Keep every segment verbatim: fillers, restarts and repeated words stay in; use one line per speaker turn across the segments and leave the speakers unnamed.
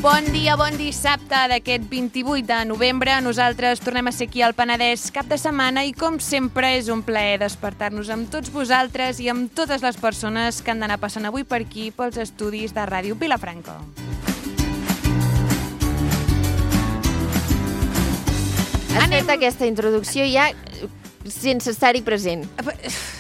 Bon dia, bon dissabte d'aquest vint-i-vuit de novembre. Nosaltres tornem a ser aquí al Penedès cap de setmana i, com sempre, és un plaer despertar-nos amb tots vosaltres i amb totes les persones que han d'anar passant avui per aquí pels estudis de Ràdio Vilafranca.
Has Anem... fet aquesta introducció ja sense estar-hi present.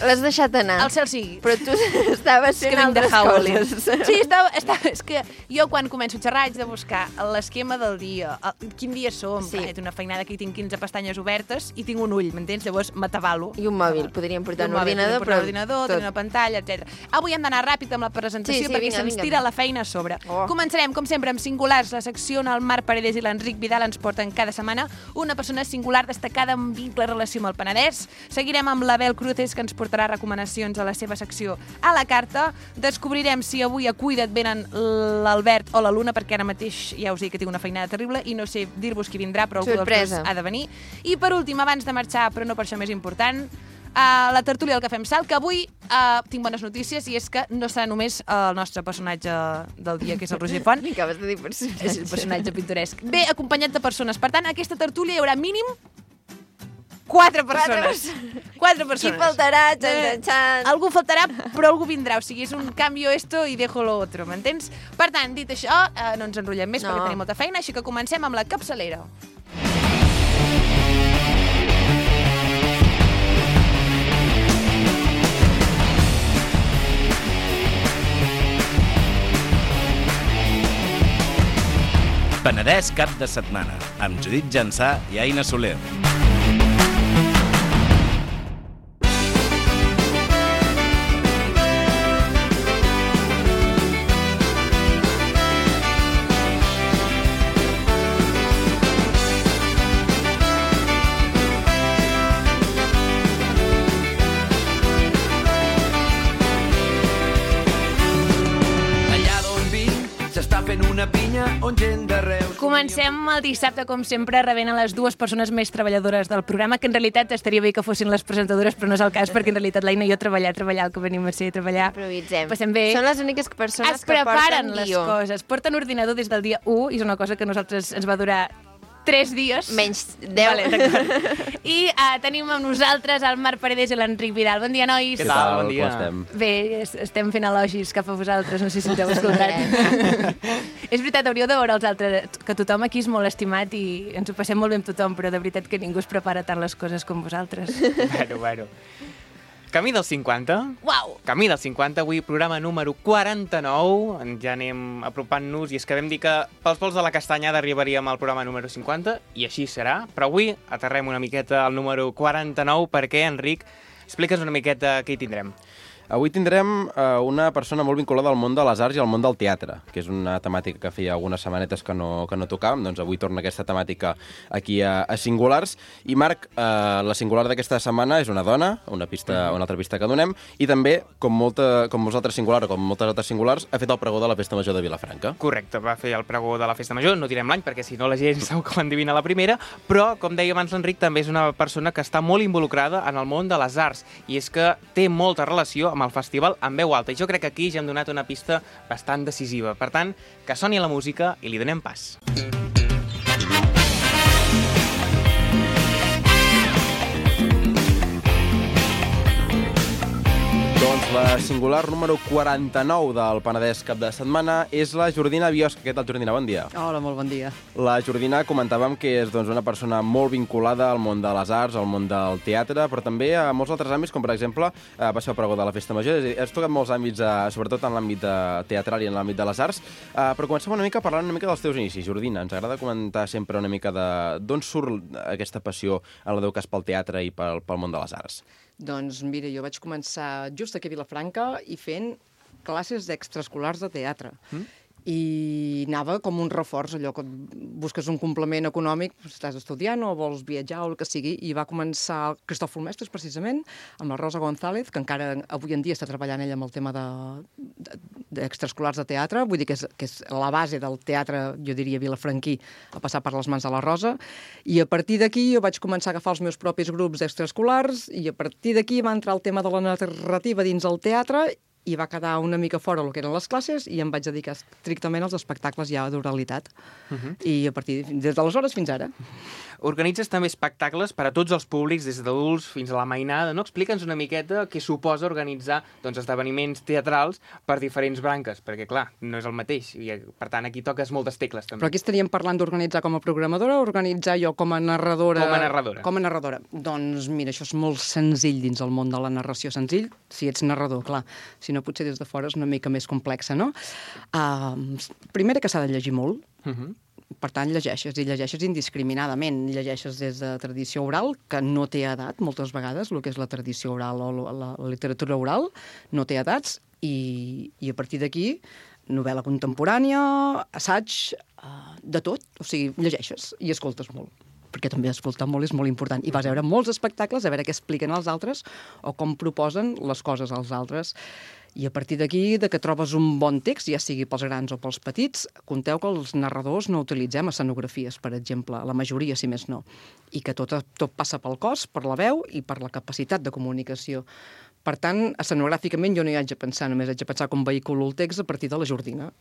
L'has deixat anar.
El cel sigui.
Però tu estaves fent altres coses.
Sí, estava, estava, és que jo quan començo a xerrar haig de buscar l'esquema del dia, el, quin dia som. Sí. He fet una feinada que hi tinc quinze pestanyes obertes i tinc un ull, m'entens? Llavors m'atabalo.
I un mòbil, podríem portar un, un ordinador,
però... un ordinador, tenir una pantalla, etcètera. Avui hem d'anar ràpid amb la presentació sí, sí, perquè vinga, se'ns vinga. tira la feina a sobre. Oh. Començarem, com sempre, amb singulars. La secció on el Marc Paredes i l'Enric Vidal ens porten cada setmana una persona singular destacada amb vincle relació amb el Penedès. Seguirem amb l'Abel Cruces, que ens portarà recomanacions a la seva secció a la carta. Descobrirem si avui a Cuida't venen l'Albert o la Luna, perquè ara mateix ja us dic que tinc una feinada terrible i no sé dir-vos qui vindrà, però algú dels dos ha de venir. I per últim, abans de marxar, però no per això més important, a la tertúlia del Cafè amb Sal, que avui uh, tinc bones notícies, i és que no serà només el nostre personatge del dia, que és el Roger Font.
Acabes de dir personatge.
És el personatge pintoresc. Ve acompanyat de persones. Per tant, a aquesta tertúlia hi haurà mínim Quatre persones. Quatre persones.
Qui faltarà? Xan, xan.
Algú faltarà, però algú vindrà. O sigui, és un cambio esto y dejo lo otro, m'entens? Per tant, dit això, eh, no ens enrotllem més no. perquè tenim molta feina, així que comencem amb la capçalera.
Penedès cap de setmana, amb Judit Jansà i Aina Soler.
Comencem el dissabte, com sempre, rebent a les dues persones més treballadores del programa, que en realitat estaria bé que fossin les presentadores, però no és el cas, perquè en realitat l'Aina i jo treballar, treballar, el que venim a ser treballar.
Improvisem.
Passem bé.
Són les úniques persones
es
que porten
preparen les
guió.
coses, porten ordinador des del dia u, i és una cosa que a nosaltres ens va durar tres dies.
Menys deu.
Vale, d'acord. I uh, tenim amb nosaltres el Marc Paredes i l'Enric Vidal. Bon dia, nois.
Què tal? Bon dia.
estem?
Bé, estem fent elogis cap a vosaltres, no sé si ens heu escoltat. És veritat, hauríeu de veure els altres, que tothom aquí és molt estimat i ens ho passem molt bé amb tothom, però de veritat que ningú es prepara tant les coses com vosaltres.
Bueno, bueno. Camí dels cinquanta.
Uau!
Camí dels cinquanta, avui programa número quaranta-nou. Ja anem apropant-nos i és que vam dir que pels vols de la castanyada arribaríem al programa número cinquanta i així serà. Però avui aterrem una miqueta al número quaranta-nou perquè, Enric, explica'ns una miqueta què hi tindrem.
Avui tindrem uh, una persona molt vinculada al món de les arts i al món del teatre, que és una temàtica que feia algunes setmanetes que no, que no tocàvem, doncs avui torna aquesta temàtica aquí a, a Singulars. I Marc, uh, la singular d'aquesta setmana és una dona, una pista, una altra pista que donem, i també, com, molta, com molts altres singulars o com moltes altres singulars, ha fet el pregó de la Festa Major de Vilafranca.
Correcte, va fer el pregó de la Festa Major, no direm l'any perquè si no la gent segur que ho endevina la primera, però, com deia abans l'Enric, també és una persona que està molt involucrada en el món de les arts, i és que té molta relació amb el festival en veu alta, i jo crec que aquí ja hem donat una pista bastant decisiva. Per tant, que soni la música i li donem pas.
Doncs la singular número quaranta-nou del Penedès cap de setmana és la Jordina Biosca. Què tal, Jordina? Bon dia.
Hola, molt bon dia.
La Jordina comentàvem que és doncs, una persona molt vinculada al món de les arts, al món del teatre, però també a molts altres àmbits, com per exemple eh, va ser el pregó de la Festa Major. És a dir, has tocat molts àmbits, eh, sobretot en l'àmbit teatral i en l'àmbit de les arts, eh, però comencem una mica parlant una mica dels teus inicis. Jordina, ens agrada comentar sempre una mica d'on surt aquesta passió en el teu cas pel teatre i pel, pel món de les arts.
Doncs mira, jo vaig començar just aquí a Vilafranca i fent classes d'extraescolars de teatre. Mm? I anava com un reforç, allò que busques un complement econòmic, estàs estudiant o vols viatjar o el que sigui, i va començar el Cristòfol Mestres, precisament, amb la Rosa González, que encara avui en dia està treballant ella amb el tema d'extraescolars de, de, de teatre, vull dir que és, que és la base del teatre, jo diria, vilafranquí, a passar per les mans de la Rosa, i a partir d'aquí jo vaig començar a agafar els meus propis grups d'extraescolars, i a partir d'aquí va entrar el tema de la narrativa dins el teatre, i va quedar una mica fora el que eren les classes i em vaig dedicar estrictament als espectacles ja d'oralitat. Uh -huh. I a partir des d'aleshores fins ara.
Organitzes també espectacles per a tots els públics, des d'adults fins a la mainada, no? Explica'ns una miqueta què suposa organitzar doncs, esdeveniments teatrals per diferents branques, perquè, clar, no és el mateix, i per tant aquí toques moltes tecles també.
Però aquí estaríem parlant d'organitzar com a programadora o organitzar jo com a narradora?
Com a narradora.
Com a narradora. Doncs mira, això és molt senzill dins el món de la narració, senzill, si ets narrador, clar. Si no, potser des de fora és una mica més complexa, no? Uh, primera que s'ha de llegir molt. Uh -huh. Per tant, llegeixes, i llegeixes indiscriminadament. Llegeixes des de tradició oral, que no té edat, moltes vegades, el que és la tradició oral o la, la literatura oral, no té edats, i, i a partir d'aquí, novel·la contemporània, assaig, uh, de tot. O sigui, llegeixes i escoltes molt, perquè també escoltar molt és molt important. I vas a veure molts espectacles, a veure què expliquen els altres o com proposen les coses als altres. I a partir d'aquí, de que trobes un bon text, ja sigui pels grans o pels petits, compteu que els narradors no utilitzem escenografies, per exemple, la majoria, si més no, i que tot, tot passa pel cos, per la veu i per la capacitat de comunicació. Per tant, escenogràficament jo no hi haig de pensar, només haig de pensar com vehiculo el text a partir de la jordina.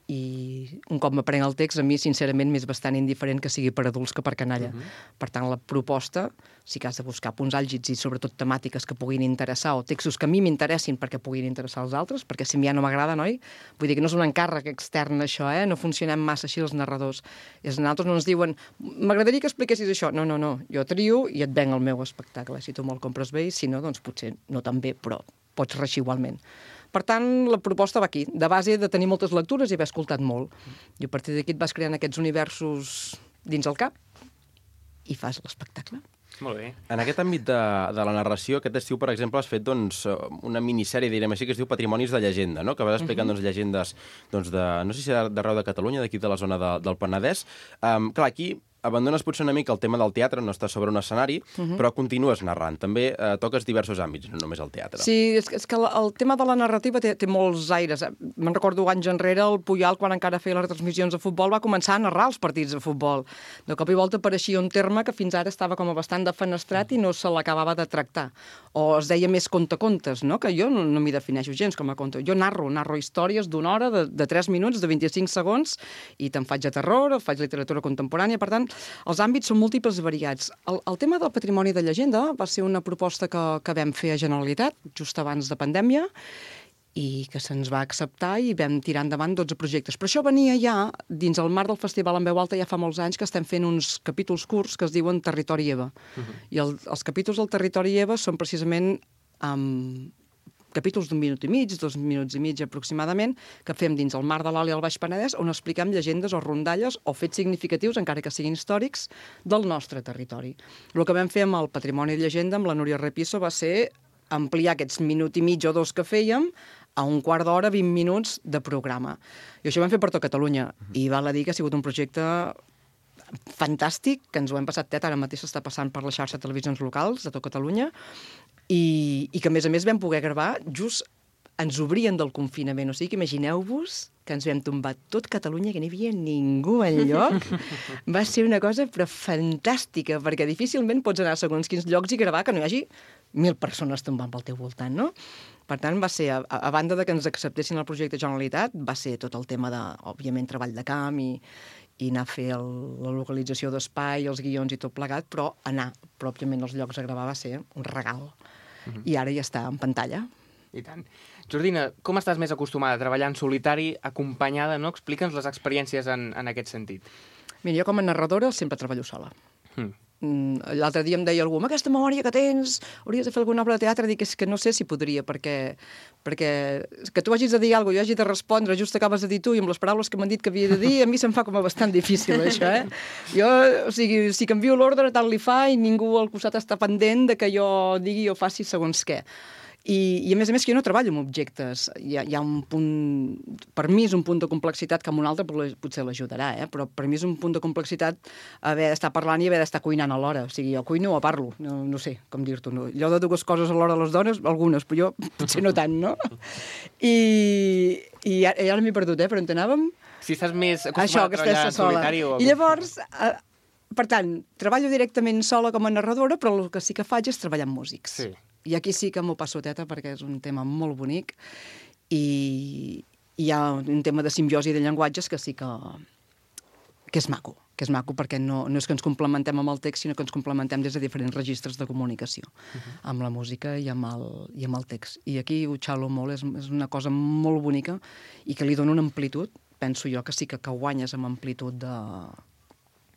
I un cop m'aprenc el text, a mi, sincerament, m'és bastant indiferent que sigui per adults que per canalla. Uh -huh. Per tant, la proposta, sí que has de buscar punts àlgids i sobretot temàtiques que puguin interessar o textos que a mi m'interessin perquè puguin interessar als altres, perquè si a mi ja no m'agrada, noi? Vull dir que no és un encàrrec extern, això, eh? No funcionem massa així els narradors. És nosaltres no ens diuen, m'agradaria que expliquessis això. No, no, no. Jo trio i et venc el meu espectacle. Si tu me'l compres bé i si no, doncs potser no tan bé, però pots reixir igualment. Per tant, la proposta va aquí, de base de tenir moltes lectures i haver escoltat molt. I a partir d'aquí et vas creant aquests universos dins el cap i fas l'espectacle.
Molt bé.
En aquest àmbit de, de la narració, aquest estiu, per exemple, has fet doncs, una minissèrie, direm així, que es diu Patrimonis de llegenda, no? Que vas explicant uh -huh. doncs, llegendes doncs, de, no sé si d'arreu de Catalunya, d'aquí de la zona de, del Penedès. Um, clar, aquí abandones potser una mica el tema del teatre, no estàs sobre un escenari, uh -huh. però continues narrant. També eh, toques diversos àmbits, no només el teatre.
Sí, és, és que el, el tema de la narrativa té, té molts aires. Me'n recordo anys enrere, el Puyal, quan encara feia les retransmissions de futbol, va començar a narrar els partits de futbol. De cop i volta apareixia un terme que fins ara estava com a bastant defenestrat i no se l'acabava de tractar. O es deia més contacontes, no? Que jo no, no m'hi defineixo gens com a conte. Jo narro, narro històries d'una hora, de, de tres minuts, de vint-i-cinc segons, i te'n faig a terror, faig literatura contemporània, per tant, els àmbits són múltiples i variats. El, el tema del patrimoni de llegenda va ser una proposta que, que vam fer a Generalitat, just abans de pandèmia, i que se'ns va acceptar i vam tirar endavant dotze projectes. Però això venia ja dins el marc del Festival en Veu Alta, ja fa molts anys que estem fent uns capítols curts que es diuen Territori Eva. Uh -huh. I el, els capítols del Territori Eva són precisament um, capítols d'un minut i mig, dos minuts i mig aproximadament, que fem dins el mar de l'Oli al Baix Penedès, on expliquem llegendes o rondalles o fets significatius, encara que siguin històrics, del nostre territori. El que vam fer amb el Patrimoni de Llegenda, amb la Núria Repisso, va ser ampliar aquests minut i mig o dos que fèiem a un quart d'hora, vint minuts de programa. I això ho vam fer per tot Catalunya, i val a dir que ha sigut un projecte fantàstic, que ens ho hem passat tet, ara mateix s'està passant per la xarxa de televisions locals de tot Catalunya, i, i que, a més a més, vam poder gravar just ens obrien del confinament. O sigui que imagineu-vos que ens vam tombar tot Catalunya, que no hi havia ningú enlloc. Va ser una cosa però fantàstica, perquè difícilment pots anar a segons quins llocs i gravar que no hi hagi mil persones tombant pel teu voltant, no? Per tant, va ser, a, a banda de que ens acceptessin el projecte Generalitat, va ser tot el tema de, òbviament, treball de camp i, i anar a fer el, la localització d'espai, els guions i tot plegat, però anar pròpiament als llocs a gravar va ser un regal. Uh-huh. I ara ja està en pantalla.
I tant. Jordina, com estàs més acostumada a treballar en solitari, acompanyada, no? Explica'ns les experiències en, en aquest sentit.
Mira, jo com a narradora sempre treballo sola.
Hmm.
L'altre dia em deia algú, amb aquesta memòria que tens, hauries de fer alguna obra de teatre. Dic, és que no sé si podria, perquè, perquè que tu hagis de dir alguna cosa, jo hagi de respondre, just acabes de dir tu, i amb les paraules que m'han dit que havia de dir, a mi se'm fa com a bastant difícil, això, eh? Jo, o sigui, si canvio l'ordre, tant li fa, i ningú al costat està pendent de que jo digui o faci segons què. I, I, a més a més, que jo no treballo amb objectes. Hi ha, hi ha un punt... Per mi és un punt de complexitat que amb un altre potser l'ajudarà, eh? Però per mi és un punt de complexitat haver d'estar parlant i haver d'estar cuinant alhora. O sigui, jo cuino o parlo. No, no sé com dir-t'ho. No. Allò de dues coses alhora a les dones, algunes, però jo potser no tant, no? I, i ara, ara m'he perdut, eh? Però on anàvem?
Si estàs més acostumada a treballar en solitari o...
I llavors... Eh, per tant, treballo directament sola com a narradora, però el que sí que faig és treballar amb músics. Sí. I aquí sí que m'ho passo teta, perquè és un tema molt bonic i hi ha un tema de simbiosi de llenguatges que sí que, que és maco, que és maco perquè no, no és que ens complementem amb el text, sinó que ens complementem des de diferents registres de comunicació, uh-huh. amb la música i amb, el, i amb el text. I aquí ho xalo molt, és, és una cosa molt bonica i que li dona una amplitud, penso jo que sí que, que guanyes amb amplitud de,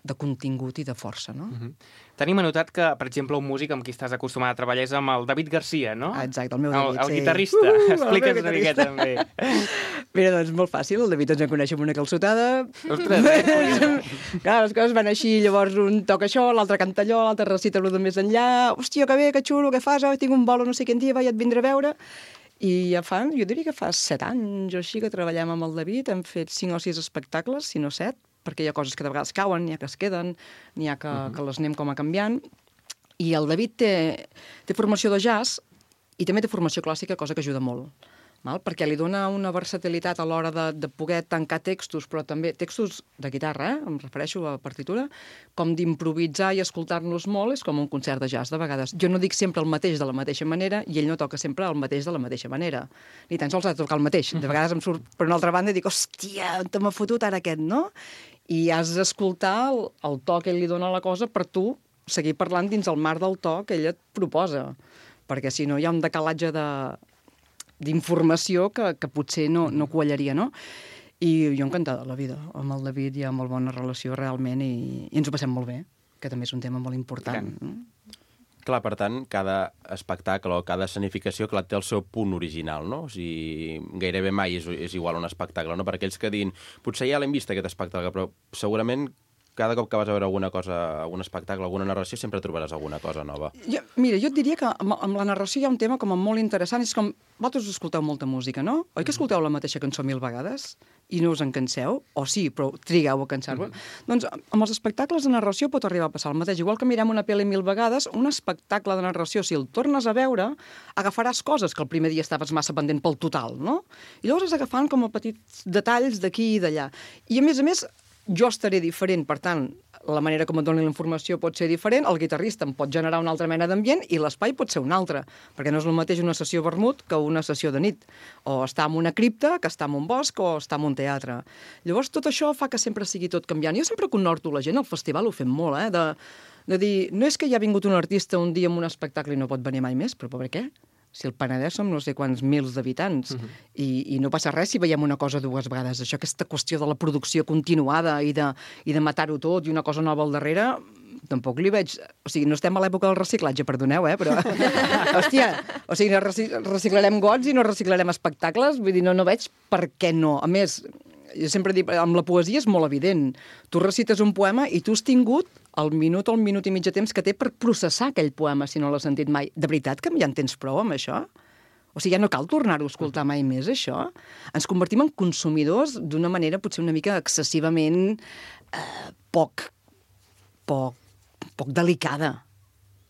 de contingut i de força, no?
Uh-huh. Tenim anotat que, per exemple, un músic amb qui estàs acostumat a treballar és amb el David Garcia, no?
Ah, exacte, el meu David,
el, el
sí.
guitarrista.
Uh,
Explica'ns una miqueta, també.
Mira, doncs, molt fàcil, el David ens en coneix amb una calçotada.
Ostres, eh?
Clar, les coses van així, llavors un toca això, l'altre canta allò, l'altre recita-lo de més enllà. Hòstia, que bé, que xulo, què fas? Oh, tinc un bolo no sé quin dia, va, ja et vindré a veure. I ja fa, jo diria que fa set anys o així que treballem amb el David, hem fet cinc o sis espectacles, si no set, perquè hi ha coses que de vegades cauen, n'hi ha que es queden, n'hi ha que, uh-huh. que les anem com a canviant. I el David té, té formació de jazz i també té formació clàssica, cosa que ajuda molt, val? Perquè li dona una versatilitat a l'hora de, de poder tancar textos, però també textos de guitarra, eh? Em refereixo a partitura, com d'improvisar i escoltar-nos molt, és com un concert de jazz, de vegades. Jo no dic sempre el mateix de la mateixa manera i ell no toca sempre el mateix de la mateixa manera. Ni tan sols ha de tocar el mateix. De vegades em surt per una altra banda i dic, hòstia, on te m'ha fotut ara aquest, no? I has d'escoltar el, el to que ell li dona a la cosa per tu seguir parlant dins el marc del to que ell et proposa. Perquè si no hi ha un decalatge de, d'informació que, que potser no, no quallaria, no? I jo encantada de la vida. Amb el David hi ha molt bona relació realment i, i ens ho passem molt bé, que també és un tema molt important. No?
Clar, per tant, cada espectacle o cada escenificació, clar, té el seu punt original, no? O sigui, gairebé mai és, és igual un espectacle, no? Per aquells que diguin, potser ja l'hem vist aquest espectacle, però segurament cada cop que vas a veure alguna cosa, algun espectacle, alguna narració, sempre trobaràs alguna cosa nova.
Jo, mira, jo et diria que amb, amb la narració hi ha un tema com molt interessant, és com, vosaltres escolteu molta música, no? Oi que escolteu la mateixa cançó mil vegades i no us en canseu? O sí, però trigueu a cansar-vos? Mm-hmm. Doncs amb els espectacles de narració pot arribar a passar el mateix. Igual que mirem una pel·li mil vegades, un espectacle de narració, si el tornes a veure, agafaràs coses que el primer dia estaves massa pendent pel total, no? I llavors has agafant com a petits detalls d'aquí i d'allà. I a més a més, jo estaré diferent, per tant, la manera com et doni la informació pot ser diferent, el guitarrista em pot generar una altra mena d'ambient i l'espai pot ser un altre, perquè no és el mateix una sessió vermut que una sessió de nit, o estar en una cripta, que estar en un bosc, o estar en un teatre. Llavors, tot això fa que sempre sigui tot canviant. Jo sempre conhorto la gent, al festival ho fem molt, eh, de, de dir, no és que hi ha vingut un artista un dia amb un espectacle i no pot venir mai més, però per què? Si el Penedès som no sé quants mils d'habitants, uh-huh. i, i no passa res si veiem una cosa dues vegades. Això, aquesta qüestió de la producció continuada i de, i de matar-ho tot i una cosa nova al darrere, tampoc li veig... O sigui, no estem a l'època del reciclatge, perdoneu, eh, però... Hòstia, o sigui, reciclarem gots i no reciclarem espectacles, vull dir, no, no veig per què no. A més, jo sempre dic, amb la poesia és molt evident. Tu recites un poema i tu has tingut el minut o el minut i mig de temps que té per processar aquell poema, si no l'has sentit mai. De veritat que ja en tens prou amb això? O sigui, ja no cal tornar-ho a escoltar mai més, això? Ens convertim en consumidors d'una manera potser una mica excessivament eh, poc, poc, poc delicada.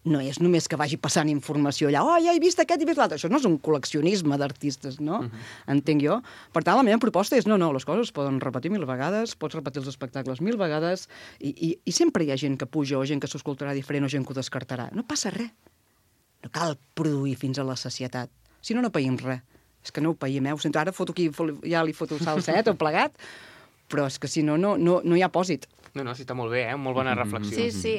No és només que vagi passant informació allà, oh, ja he vist aquest i he vist l'altre. Això no és un col·leccionisme d'artistes, no? Uh-huh. Entenc jo. Per tant, la meva proposta és, no, no, les coses es poden repetir mil vegades, pots repetir els espectacles mil vegades, i, i, i sempre hi ha gent que puja, o gent que s'escoltarà diferent, o gent que ho descartarà. No passa res. No cal produir fins a la sacietat. Si no, no païm res. És que no ho païm, eh? Ho sento, ara foto aquí, ja li foto salset o plegat, però és que si no, no, no, no hi ha pòsit.
No, no, sí, està molt bé, eh? Molt bona reflexió.
Sí, sí.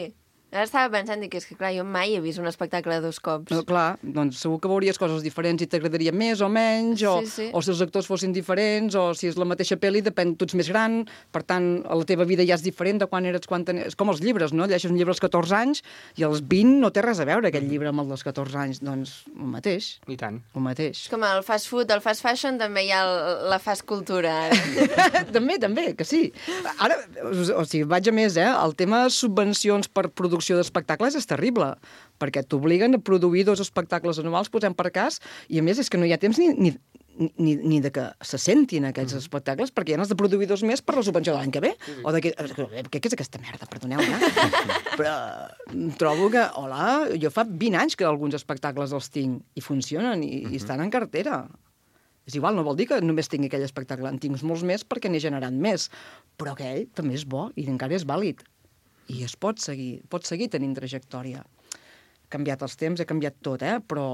Ara estava pensant que és que, clar, jo mai he vist un espectacle dos cops.
No, clar, doncs segur que veuries coses diferents i t'agradaria més o menys, o,
sí, sí.
o si els actors fossin diferents, o si és la mateixa pel·li, depèn, tu ets més gran, per tant, la teva vida ja és diferent de quan eres, quan ten... És com els llibres, no? Llegeixes un llibre als catorze anys i als vint no té res a veure aquell llibre amb el dels catorze anys. Doncs el mateix.
I tant.
El mateix.
És com el fast food, el fast fashion, també hi ha el, la fast cultura.
també, també, que sí. Ara, o sigui, vaig a més, eh? El tema de subvencions per producció d'espectacles és terrible, perquè t'obliguen a produir dos espectacles anuals, posem per cas, i a més és que no hi ha temps ni, ni, ni, ni de que se sentin aquests mm. espectacles, perquè ja n'has de produir dos més per la subvenció de l'any que ve. Sí, sí. O de que, què és aquesta merda, perdoneu, eh? Però trobo que, hola, jo fa vint anys que alguns espectacles els tinc i funcionen i, mm-hmm. i estan en cartera. És igual, no vol dir que només tingui aquell espectacle, en tinc molts més perquè n'he generat més, però aquell també és bo i encara és vàlid. I es pot seguir, pot seguir tenint trajectòria. Ha canviat els temps, ha canviat tot, eh? Però,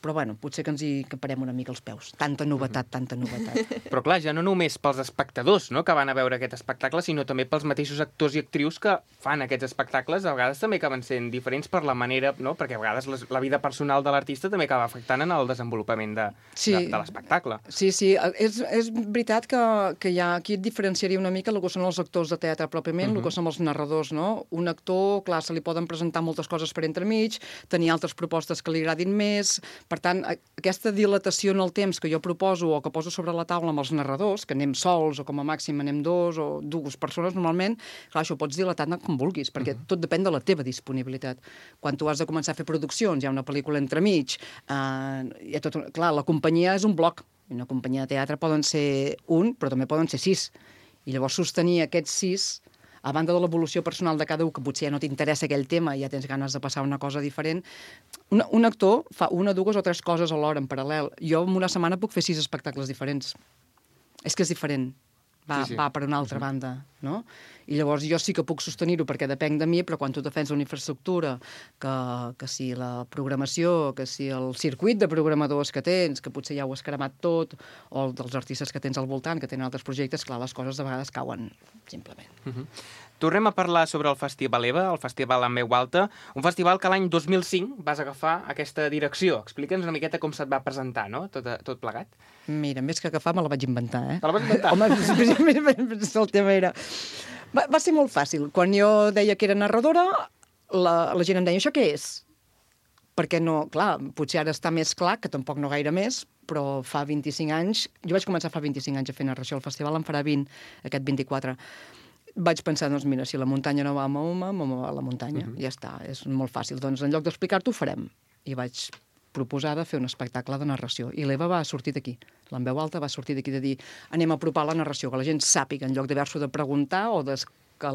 però bueno, potser que ens hi caparem una mica els peus. Tanta novetat, tanta novetat.
Però clar, ja no només pels espectadors, no?, que van a veure aquest espectacle, sinó també pels mateixos actors i actrius que fan aquests espectacles, a vegades també acaben sent diferents per la manera, no?, perquè a vegades les, la vida personal de l'artista també acaba afectant en el desenvolupament de,
sí.
de, de l'espectacle.
Sí, sí, és, és veritat que, que hi ha, aquí et diferenciaria una mica el que són els actors de teatre pròpiament, uh -huh. el que són els narradors, no? Un actor, clar, se li poden presentar moltes coses per entremig, tenir altres propostes que li agradin més. Per tant, aquesta dilatació en el temps que jo proposo o que poso sobre la taula amb els narradors, que anem sols o com a màxim anem dos o dues persones normalment, clar, això ho pots dilatar com vulguis, perquè uh -huh. tot depèn de la teva disponibilitat. Quan tu has de començar a fer produccions, hi ha una pel·lícula entremig, eh, hi ha tot, clar, la companyia és un bloc. Una companyia de teatre poden ser un, però també poden ser sis. I llavors sostenir aquests sis, a banda de l'evolució personal de cada un, que potser ja no t'interessa aquell tema i ja tens ganes de passar una cosa diferent, un, un actor fa una, dues o tres coses alhora, en paral·lel. Jo en una setmana puc fer sis espectacles diferents. És que és diferent. Va, sí, sí. va per una altra uh -huh. banda, no? I llavors jo sí que puc sostenir-ho perquè depenc de mi, però quan tu defens una infraestructura, que, que si la programació, que si el circuit de programadors que tens, que potser ja ho has cremat tot, o dels artistes que tens al voltant, que tenen altres projectes, clar, les coses de vegades cauen, simplement.
Uh -huh. Tornem a parlar sobre el Festival EVA, el Festival en Veu Alta, un festival que l'any dos mil cinc vas agafar aquesta direcció. Explica'ns una miqueta com se't va presentar, no?, tot, tot plegat.
Mira, més que agafar, me la vaig inventar, eh?
Te la vas inventar?
Home, el tema era... Va, va ser molt fàcil. Quan jo deia que era narradora, la, la gent em deia, això què és? Perquè no, clar, potser ara està més clar, que tampoc no gaire més, però fa vint-i-cinc anys... Jo vaig començar fa vint-i-cinc anys a fer narració. El festival en farà vint, aquest vint-i-quatre. Vaig pensar, doncs mira, si la muntanya no va a Mahoma, Mahoma va a la muntanya. Uh -huh. Ja està, és molt fàcil. Doncs en lloc d'explicar-t'ho, ho farem. I vaig proposar de fer un espectacle de narració. I l'Eva va sortir d'aquí. En Veu Alta va sortir d'aquí de dir anem a apropar la narració, que la gent sàpiga, en lloc d'haver-s'ho de preguntar o de que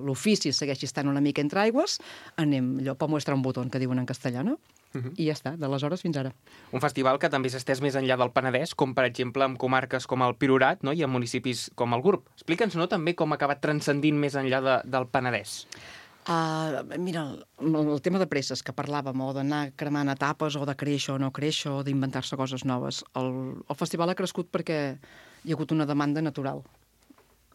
l'ofici segueixi estant una mica entre aigües, anem allò per mostrar un botó, que diuen en castellà, no? Uh -huh. I ja està, d'aleshores fins ara.
Un festival que també s'ha estès més enllà del Penedès, com per exemple en comarques com el Priorat, no?, i en municipis com el Gurb. Explica'ns, no?, també com ha acabat transcendint més enllà de, del Penedès.
Uh, mira, el, el tema de presses que parlàvem, o d'anar cremant etapes, o de créixer o no créixer, o d'inventar-se coses noves. El, el festival ha crescut perquè hi ha hagut una demanda natural.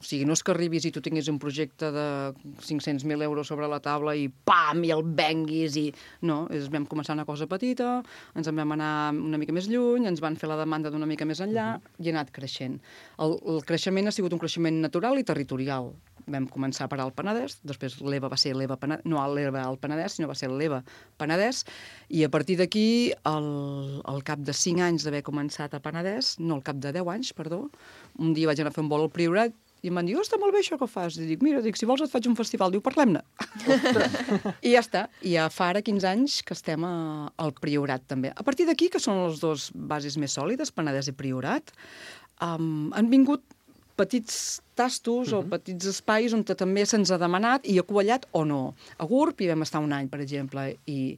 O sigui, no és que arribis i tu tinguis un projecte de cinc-cents mil euros sobre la taula i pam, i el venguis, i... No, és, vam començar una cosa petita, ens en vam anar una mica més lluny, ens van fer la demanda d'una mica més enllà, uh -huh. i ha anat creixent. El, el creixement ha sigut un creixement natural i territorial. Vam començar per al Penedès, després l'EVA va ser l'EVA Penedès, no l'EVA al Penedès, sinó va ser l'EVA Penedès, i a partir d'aquí, al, al cap de cinc anys d'haver començat a Penedès, no, al cap de deu anys, perdó, un dia vaig anar a fer un vol al Priorat, i em van dir, oh, està molt bé això que fas. I dic, mira, dic, si vols et faig un festival. Diu, parlem-ne. I ja està. I ja fa ara quinze anys que estem a, al Priorat, també. A partir d'aquí, que són les dues bases més sòlides, Penedès i Priorat, um, han vingut petits tastos uh-huh. o petits espais on també se'ns ha demanat i ha quallat o no. A Gurb hi vam estar un any, per exemple, i,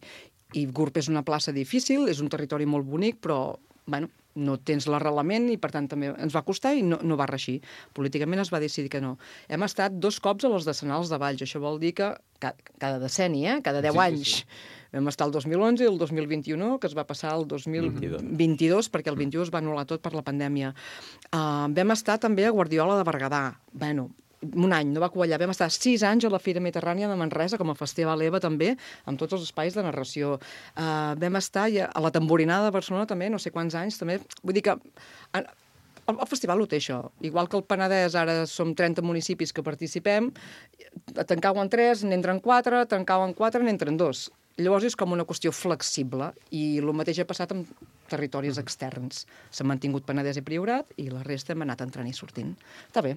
i Gurb és una plaça difícil, és un territori molt bonic, però, bueno, no tens l'arrelament i, per tant, també ens va costar i no, no va reeixir. Políticament es va decidir que no. Hem estat dos cops a les decenals de Valls. Això vol dir que cada, cada decenni, eh? cada deu sí, anys. Sí, sí. Vam estar el dos mil onze i el dos mil vint-i-u, que es va passar el dos mil vint-i-dos, perquè el vint-i-u es va anul·lar tot per la pandèmia. Uh, vam estar també a Guardiola de Berguedà. Bueno, un any, no va quallar. Vam estar sis anys a la Fira Mediterrània de Manresa, com a Festival EVA també, amb tots els espais de narració. Uh, vam estar a la Tamborinada de Barcelona també, no sé quants anys també. Vull dir que el, el festival ho té això. Igual que el Penedès, ara som trenta municipis que participem, a Tancau en tres, n'entren quatre, a Tancau en quatre, n'entren dos. Llavors és com una qüestió flexible i el mateix ha passat amb territoris externs. S'han mantingut Penedès i Priorat i la resta hem anat entrant i sortint. Està bé.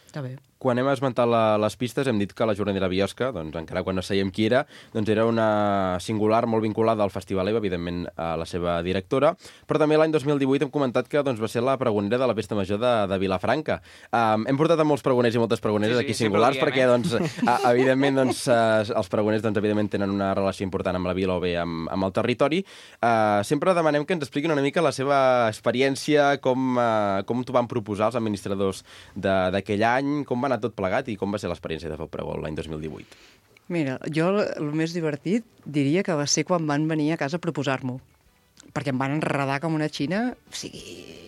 Està bé.
Quan hem esmentat la, les pistes hem dit que la jornadera Biosca, doncs encara quan no sabíem qui era, doncs era una singular molt vinculada al Festival EVA, evidentment a la seva directora, però també l'any dos mil divuit hem comentat que doncs, va ser la pregonera de la Festa Major de, de Vilafranca. Um, hem portat a molts pregoners i moltes pregoneres sí, sí, aquí singulars diem, perquè, eh? doncs, a, evidentment, doncs, uh, els pregoners doncs, evidentment tenen una relació important amb la vila o bé amb, amb el territori. Uh, sempre demanem que ens expliquin una mica la seva experiència, com, uh, com t'ho van proposar els administradors d'aquell any, com va anar tot plegat i com va ser l'experiència de fer el pregó l'any dos mil divuit?
Mira, jo el més divertit diria que va ser quan van venir a casa a proposar-m'ho. perquè em van enredar com una xina, o sigui,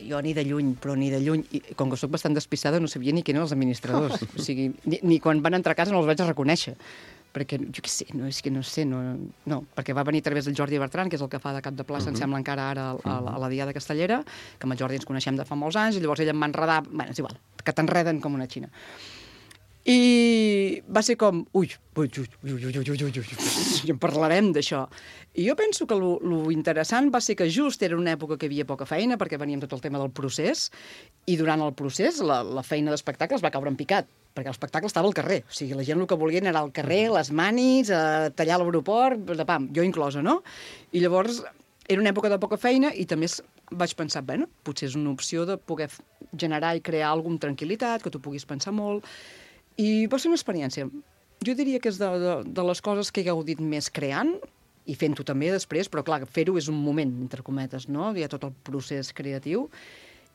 jo ni de lluny, però ni de lluny, i com que soc bastant despistada no sabia ni qui eren els administradors, o sigui, ni, ni quan van entrar a casa no els vaig reconèixer, perquè, jo què sé, no, és que no sé, no, no, perquè va venir a través del Jordi Bertran, que és el que fa de cap de plaça, uh-huh. em sembla encara ara a, a, a la Diada Castellera, que amb el Jordi ens coneixem de fa molts anys, i llavors ell em va enredar, bueno, és igual, que t'enreden com una xina. I va ser com, ui, ui, ui, ui, ui, ui, ui, ui, i en parlarem d'això. I jo penso que lo, lo interessant va ser que just era una època que hi havia poca feina, perquè veníem tot el tema del procés, i durant el procés la, la feina d'espectacles va caure en picat, perquè l'espectacle estava al carrer. O sigui, la gent el que volien era al carrer, les manis, a tallar l'aeroport, de pam, jo inclosa, no? I llavors era una època de poca feina i també vaig pensar, bueno, potser és una opció de poder generar i crear alguna amb tranquil·litat, que tu puguis pensar molt. I va ser una experiència. Jo diria que és de, de, de les coses que he gaudit més creant, i fent-ho també després, però clar, fer-ho és un moment, entre cometes, no? Hi ha tot el procés creatiu,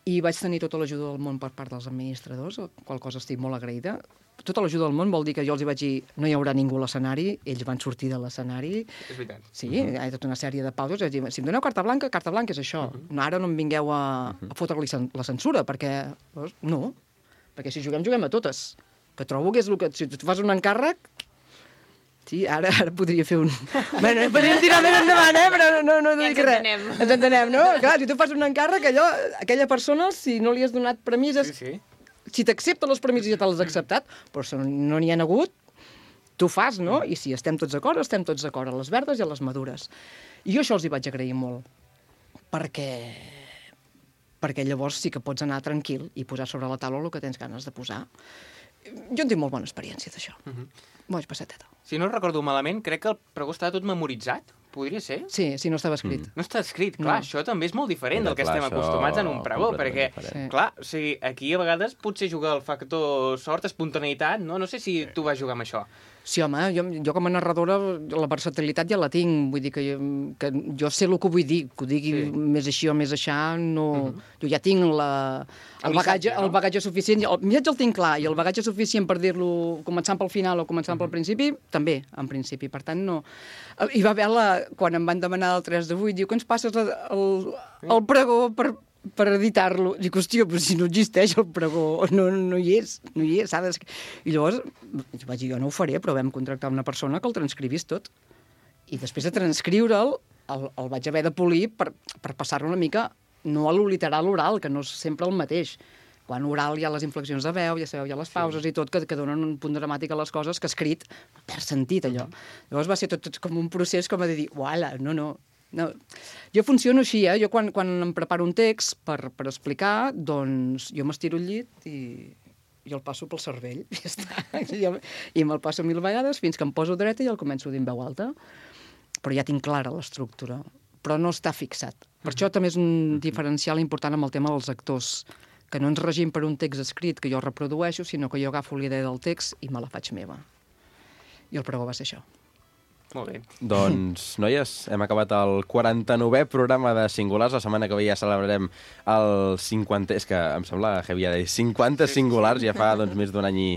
i vaig tenir tota l'ajuda del món per part dels administradors, qual cosa estic molt agraïda. Tota l'ajuda del món vol dir que jo els hi vaig dir no hi haurà ningú a l'escenari, ells van sortir de l'escenari.
És veritat.
Sí, uh-huh. Hi ha tota una sèrie de pauses. Vaig dir, si em doneu carta blanca, carta blanca és això. Uh-huh. No, ara no em vingueu a, a fotre-li la censura, perquè no, perquè si juguem, juguem a totes. Que trobo que és el que... Si tu fas un encàrrec... Sí, ara, ara podria fer un... Bueno, podríem tirar més endavant, eh? Però no, no, no
ja
dic res. Entenem. Ens entenem, no? Clar, si tu fas un encàrrec, allò, aquella persona, si no li has donat premisses...
Sí, sí.
Si t'accepta les premisses ja te les has acceptat, però si no n'hi ha hagut, tu fas, no? I si estem tots d'acord, estem tots d'acord, a les verdes i a les madures. I jo això els hi vaig agrair molt, perquè... perquè llavors sí que pots anar tranquil i posar sobre la taula el que tens ganes de posar. Jo en tinc molt bona experiència d'això. Uh-huh. M'ho vaig passar teta.
Si no recordo malament, crec que el pregó estava tot memoritzat. Podria ser?
Sí, sí, no estava escrit.
Mm. No està escrit, clar, no. Això també és molt diferent Mira, del que clar, estem acostumats en un pregó, perquè, sí. clar, o sigui, aquí a vegades potser juga el factor sort, espontaneïtat, no? No sé si tu vas jugar amb això.
Sí, home, jo, jo com a narradora la versatilitat ja la tinc, vull dir que jo, que jo sé el que vull dir, que ho digui sí. més així o més aixà, no... Uh-huh. Jo ja tinc la, el, el, bagatge, no? el bagatge suficient, el missatge el tinc clar, i el bagatge suficient per dir-lo començant pel final o començant uh-huh. pel principi, també, en principi, per tant no... Hi va haver la... Quan em van demanar el tres de vuit, diu que ens passes el, el, el pregó per... per editar-lo. Dic, hòstia, però si no existeix el pregó, no, no hi és, no hi és. De... I llavors vaig dir, jo no ho faré, però vam contractar una persona que el transcrivís tot. I després de transcriure'l, el, el vaig haver de polir per, per passar-lo una mica, no a lo literal oral, que no és sempre el mateix. Quan oral hi ha les inflexions de veu, ja sabeu, hi ha les pauses sí. i tot, que, que donen un punt dramàtic a les coses, que escrit perd sentit, allò. Llavors va ser tot, tot com un procés com a dir, uala, no, no, No, jo funciono així, eh? Jo quan, quan em preparo un text per, per explicar, doncs jo m'estiro al llit i, i el passo pel cervell, i ja està. I, i me'l passo mil vegades fins que em poso dreta i el començo a dir en veu alta. Però ja tinc clara l'estructura, però no està fixat. Per això també és un diferencial important amb el tema dels actors, que no ens regim per un text escrit que jo reprodueixo, sinó que jo agafo la idea del text i me la faig meva. I el pregó va ser això.
Molt bé.
Doncs, noies, hem acabat el quaranta-novè programa de Singulars. La setmana que ve ja celebrarem el cinquanta... És que em sembla heavy ja dir cinquanta Singulars. Ja fa doncs, més d'un any i,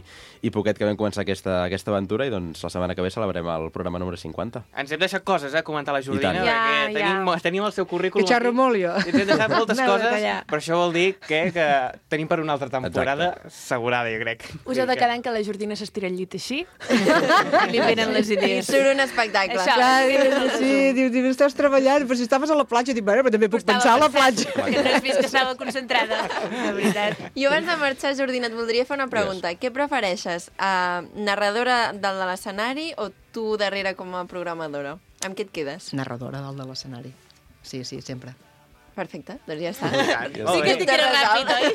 i poquet que vam començar aquesta, aquesta aventura i doncs la setmana que ve celebrem el programa número cinquanta.
Ens hem deixat coses, eh, a comentar la Jordina,
ja,
perquè
ja.
Tenim, tenim el seu currículum.
Que xerro molt, jo.
Ens hem deixat moltes coses, però això vol dir que, que tenim per una altra temporada Exacte. assegurada, jo crec.
Us ha de quedar que la Jordina s'estira al llit així i li venen les idees.
I surt un espectacle.
Això,
Clar, sí, diu, diu, estàs treballant, però si estaves a la platja, dic, bueno, però també puc pensar a la platja.
Que no has vist que estava concentrada, de veritat.
I abans de marxar, Jordina, et voldria fer una pregunta. Yes. Què prefereixes, uh, narradora del de l'escenari o tu darrere com a programadora? Amb què et quedes?
Narradora del de l'escenari. Sí, sí, sempre.
Perfecte, doncs ja està.
Sí que estic ràpid, oi?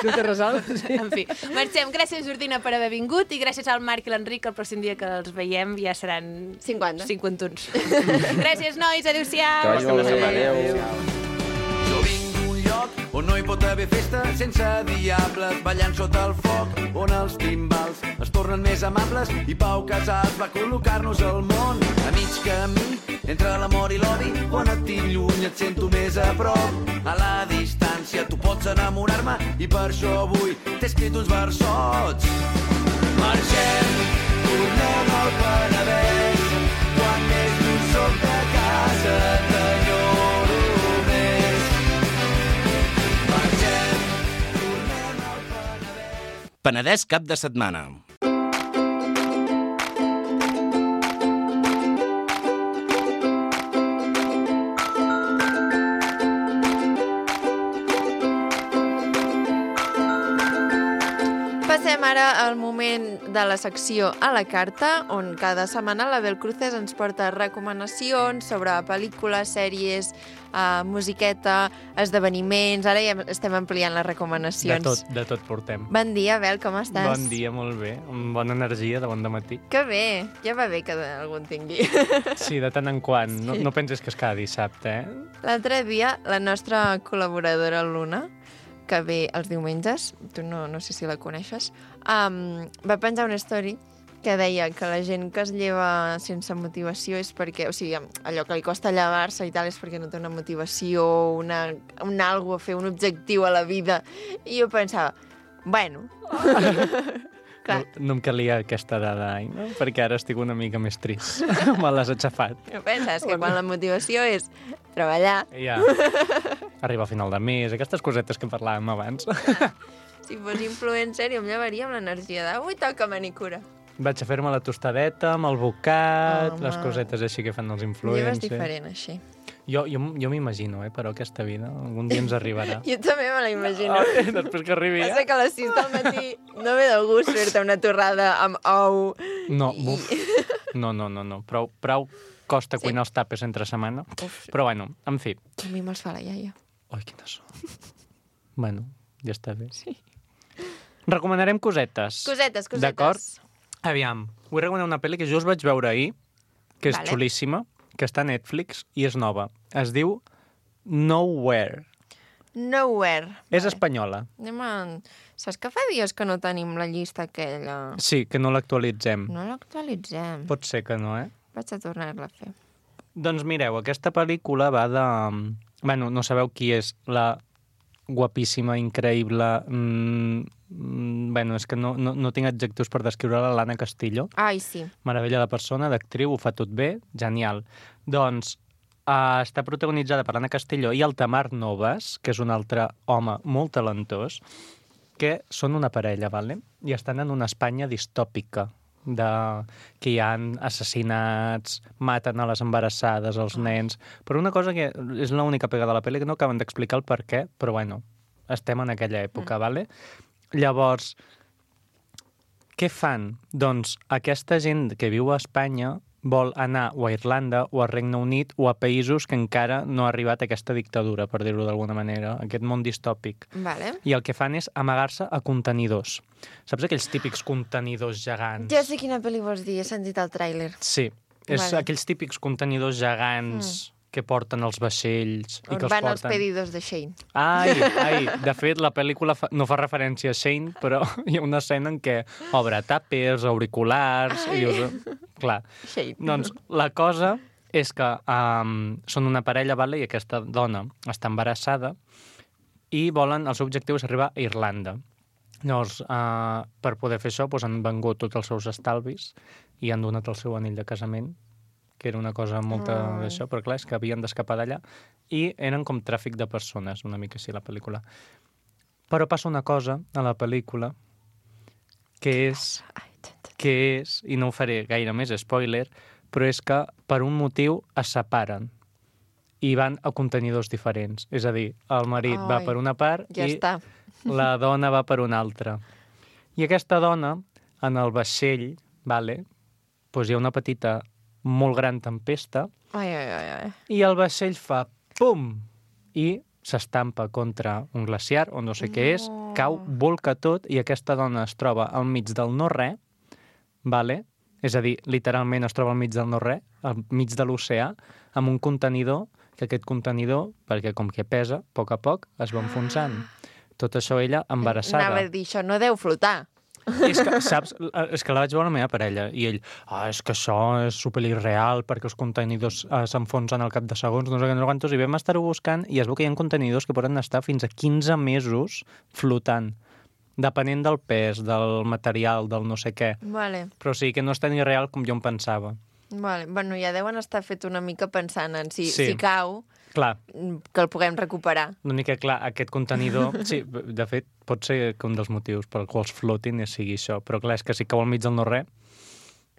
Tu te resols? Sí.
En fi, marxem. Gràcies, Jordina, per haver vingut i gràcies al Marc i l'Enric, que el pròxim dia que els veiem ja seran...
cinquanta.
cinquanta-uns. Gràcies, nois. Adéu-siau.
Que vagi molt bé. Adéu.
Jo vinc d'un lloc on no hi pot haver festa sense diables ballant sota el foc, on els timbals es tornen més amables i Pau Casals va col·locar-nos al món a mig camí entre l'amor i l'odi, on et tinc lluny et sento més a prop, a la distància tu pots enamorar-me i per això avui t'he escrit uns versots. Marxem, tornem al Penedès, quan més lluny soc de casa t'enyoro.
Penedès cap de setmana.
Passem ara al moment de la secció a la carta, on cada setmana la Bel Cruces ens porta recomanacions sobre pel·lícules, sèries, uh, musiqueta, esdeveniments. Ara ja estem ampliant les recomanacions.
De tot, de tot portem.
Bon dia, Bel, com estàs?
Bon dia, molt bé. Amb bona energia de bon dematí.
Que bé, ja va bé que algú en tingui.
Sí, de tant en quant. No, no penses que és cada dissabte, eh?
L'altre dia, la nostra col·laboradora Luna, que ve els diumenges, tu no, no sé si la coneixes, um, va penjar una story que deia que la gent que es lleva sense motivació és perquè, o sigui, allò que li costa llevar-se i tal és perquè no té una motivació, una, un algo a fer, un objectiu a la vida. I jo pensava, bueno...
No, no em calia aquesta dada, ai, no? Perquè ara estic una mica més trist. Me l'has aixafat.
No penses que quan la motivació és treballar...
Ja. Arriba a final de mes, aquestes cosetes que parlàvem abans.
Si fos influencer, jo em llevaria amb l'energia d'avui toca manicura.
Vaig a fer-me la tostadeta amb el bocat,
Home.
les cosetes així que fan els influencers.
Lleves diferent, així.
Jo, jo, jo m'imagino, eh, però aquesta vida algun dia ens arribarà.
Jo també me la imagino.
Oh, després que arribi ja.
Passa que a les sis del matí no ve de gust fer-te una torrada amb ou.
No,
I...
buf. No, no, no, no. Prou, prou costa
Sí.
cuinar els tapes entre setmana.
Uf.
Però bueno, en fi.
A mi me'ls fa la iaia.
Ai, quina son. Bueno, ja està bé. Sí. Recomanarem cosetes.
Cosetes, cosetes.
D'acord? Aviam, vull recomanar una pel·li que just vaig veure ahir, que és
Vale.
xulíssima, que està a Netflix i és nova. Es diu Nowhere.
Nowhere.
És espanyola.
Anem a... Saps que fa dies que no tenim la llista aquella?
Sí, que no l'actualitzem.
No l'actualitzem.
Pot ser que no, eh?
Vaig a tornar-la a fer.
Doncs mireu, aquesta pel·lícula va de... Bueno, no sabeu qui és la guapíssima, increïble... Mm, mm, bueno, és que no, no, no tinc adjectius per descriure-la, l'Anna Castillo.
Ai, sí.
Meravella de persona, d'actriu, ho fa tot bé, genial. Doncs uh, està protagonitzada per l'Anna Castillo i el Tamar Novas, que és un altre home molt talentós, que són una parella, vale? I estan en una Espanya distòpica, de que hi ha assassinats, maten a les embarassades, els nens... Per una cosa que és l'única pega de la pel·li, que no acaben d'explicar el per què, però bueno, estem en aquella època, mm. vale? Llavors, què fan? Doncs aquesta gent que viu a Espanya vol anar o a Irlanda o a Regne Unit o a països que encara no ha arribat aquesta dictadura, per dir-ho d'alguna manera, aquest món distòpic.
Vale.
I el que fan és amagar-se a contenidors. Saps aquells típics contenidors gegants?
Ja sé quina pel·li vols dir, he sentit el tràiler.
Sí, és
Vale.
aquells típics contenidors gegants mm. que porten els vaixells i
On
que els
van
porten...
els pedidos de Shane.
Ai, ai, de fet, la pel·lícula fa... no fa referència a Shane, però hi ha una escena en què obre tàpers, auriculars... Ai. I us... Clar.
Shane.
Doncs la cosa és que um, són una parella, vale? I aquesta dona està embarassada i volen, el seu objectiu és arribar a Irlanda. Llavors, uh, per poder fer això, doncs, han vengut tots els seus estalvis i han donat el seu anell de casament, que era una cosa molta
Mm.
d'això, però clar, és que havien d'escapar d'allà, i eren com tràfic de persones, una mica així, la pel·lícula. Però passa una cosa a la pel·lícula que és, que és, i no ho faré gaire més spoiler, però és que per un motiu es separen i van a contenidors diferents. És a dir, el marit
Ai,
va per una part
ja
i
està.
la dona va per una altra. I aquesta dona, en el vaixell, vale, doncs hi ha una petita, molt gran tempesta,
Ai, ai, ai, ai.
i el vaixell fa pum! I s'estampa contra un glaciar, o no sé no. què és, cau, volca tot, i aquesta dona es troba al mig del no-res, vale? És a dir, literalment es troba al mig del no-res, al mig de l'oceà, amb un contenidor, que aquest contenidor, perquè com que pesa, a poc a poc, es va enfonsant. Tot això ella embarassada.
Anava a dir, això no deu flotar.
És que, saps, és que la vaig veure la meva parella i ell, ah, és que això és superirreal perquè els contenidors eh, s'enfonsen al cap de segons, no sé què, no sé quantos, i vam estar-ho buscant i es veu que hi ha contenidors que poden estar fins a quinze mesos flotant, depenent del pes, del material, del no sé què.
Vale.
Però sí que no és tan irreal com jo em pensava.
Vale. Bueno, ja deuen estar fet una mica pensant en si,
Sí.
si cau,
Clar,
que el puguem recuperar.
l'únic que, clar, aquest contenidor... Sí, de fet, pot ser que un dels motius per als quals flotin sigui això, però clar, és que si cau al mig del no-res,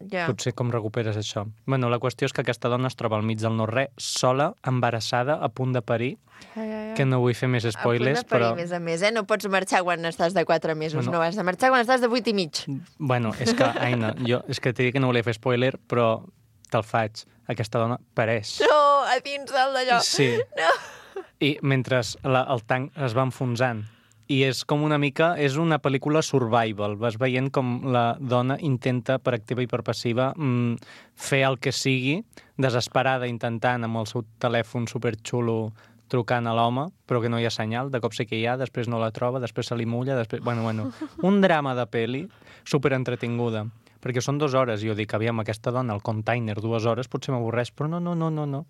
Ja.
potser com recuperes això. Bueno, la qüestió és que aquesta dona es troba al mig del no-res, sola, embarassada, a punt de parir,
Ai, ai, ai.
que no vull fer més spoilers,
a punt de parir,
però...
més a més, eh? No pots marxar quan estàs de quatre mesos,
Bueno.
no has de marxar quan estàs de vuit i mig.
Bueno, és que, Aina, jo és que t'he dit que no volia fer spoiler, però te'l faig. Aquesta dona pareix.
No, a dins del d'allò.
Sí.
No.
I mentre la, el tanc es va enfonsant. I és com una mica... És una pel·lícula survival. Vas veient com la dona intenta, per activa i per passiva, mm, fer el que sigui, desesperada, intentant amb el seu telèfon superxulo trucant a l'home, però que no hi ha senyal, de cop sí que hi ha, després no la troba, després se li mulla, després... Bueno, bueno, un drama de peli superentretinguda. Perquè són dues hores, i jo dic, aviam, aquesta dona, el container, dues hores, potser m'avorreix, però no, no, no, no, no.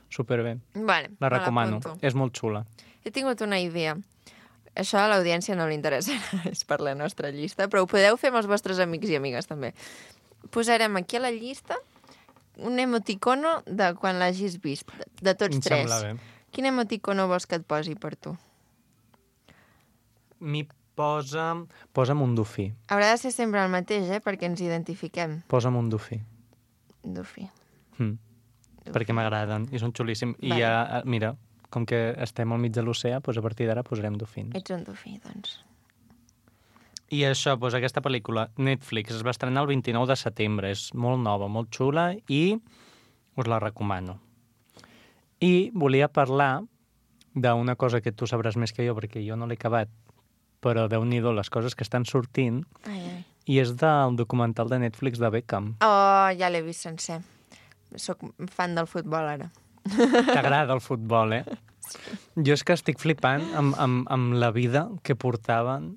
Superbé.
Vale,
La
me
recomano.
l'apunto.
És molt xula.
He tingut una idea. Això a l'audiència no li interessa, és per la nostra llista, però ho podeu fer amb els vostres amics i amigues, també. Posarem aquí a la llista un emoticono de quan l'hagis vist, de, de tots
Em
tres.
sembla bé.
Quin emoticono vols que et posi per tu?
M'hi posa... Posa'm un dofí.
Haurà de ser sempre el mateix, eh? Perquè ens identifiquem.
Posa'm un dofí.
Dofí.
Mm. Perquè m'agraden i són xulíssims. I
Vale.
ja, mira, com que estem al mig de l'oceà, doncs a partir d'ara posarem dofins.
Ets un dofí, doncs.
I això, doncs aquesta pel·lícula, Netflix, es va estrenar el vint-i-nou de setembre. És molt nova, molt xula i us la recomano. I volia parlar d'una cosa que tu sabràs més que jo, perquè jo no l'he acabat, però Déu-n'hi-do les coses que estan sortint,
Ai, ai.
i és del documental de Netflix de Beckham.
Oh, ja l'he vist sencer. Soc fan del futbol, ara.
T'agrada el futbol, eh? Jo és que estic flipant amb, amb, amb la vida que portaven,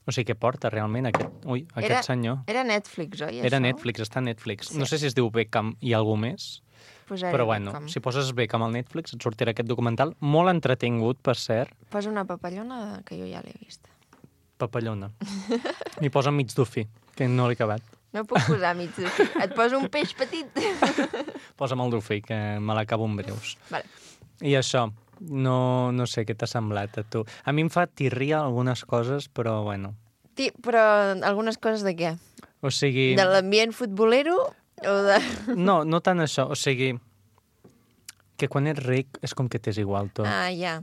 o sigui, que porta realment aquest, ui, aquest
Era-
senyor.
Era Netflix, oi,
Era
això?
Netflix, està a Netflix.
Sí.
No sé si es diu Beckham i algú més,
Posaré
però bueno,
Beckham.
si poses Beckham al Netflix et sortirà aquest documental, molt entretingut, per cert,
Posa una papallona que jo ja l'he vist.
papallona. M'hi posa mig dofí, que no l'he acabat.
No puc posar mig dofí. Et poso un peix petit.
Posa'm el dofí, que me l'acabo en breus.
Vale.
I això, no, no sé què t'ha semblat a tu. A mi em fa tirria algunes coses, però bueno.
Ti, però algunes coses de què?
O sigui...
De l'ambient futbolero o de...
No, no tant això. O sigui, que quan ets ric és com que t'és igual tot.
Ah, ja.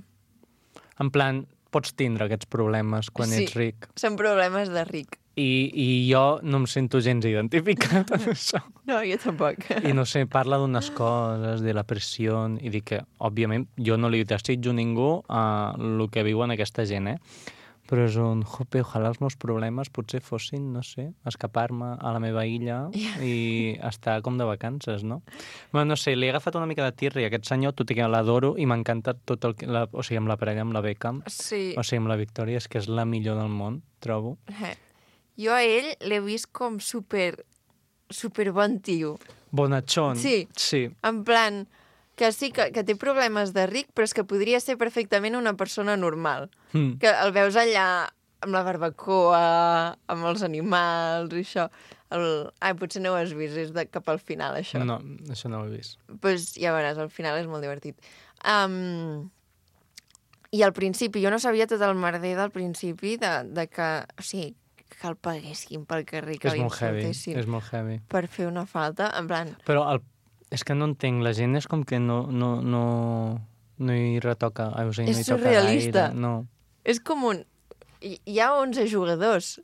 En plan, pots tindre aquests problemes quan
Sí.
ets ric.
Són problemes de ric.
I, I jo no em sento gens identificat amb això.
No, jo tampoc.
I no sé, parla d'unes coses, de la pressió, i dic que, òbviament, jo no li desitjo a ningú uh, el que viuen aquesta gent, eh? Però és un, jope, ojalà els meus problemes potser fossin, no sé, escapar-me a la meva illa i estar com de vacances, no? Bueno, no sé, li he agafat una mica de tirri a aquest senyor, tot i que l'adoro i m'encanta tot el que... La, o sigui, amb la parella, amb la Beckham,
Sí.
o sigui, amb la Victòria, és que és la millor del món, trobo.
Eh. Jo a ell l'he vist com super, super bon tio.
Bonachón.
Sí.
Sí.
En plan, que sí, que, que té problemes de ric, però és que podria ser perfectament una persona normal.
Mm.
Que el veus allà amb la barbacoa, amb els animals i això. El... Ai, potser no ho has vist, és de cap al final, això.
No, això no ho he vist.
Pues ja veuràs, al final és molt divertit. Um, I al principi, jo no sabia tot el merder del principi de, de que, o sigui, que el paguessin pel carrer, que
És molt heavy,
l'insultessin
és molt heavy.
per fer una falta, en plan...
Però el, és que no entenc, la gent és com que no, no, no, no hi retoca, o sigui, no
És
hi toca
surrealista.
gaire. No.
És com un... Hi hi ha onze jugadors.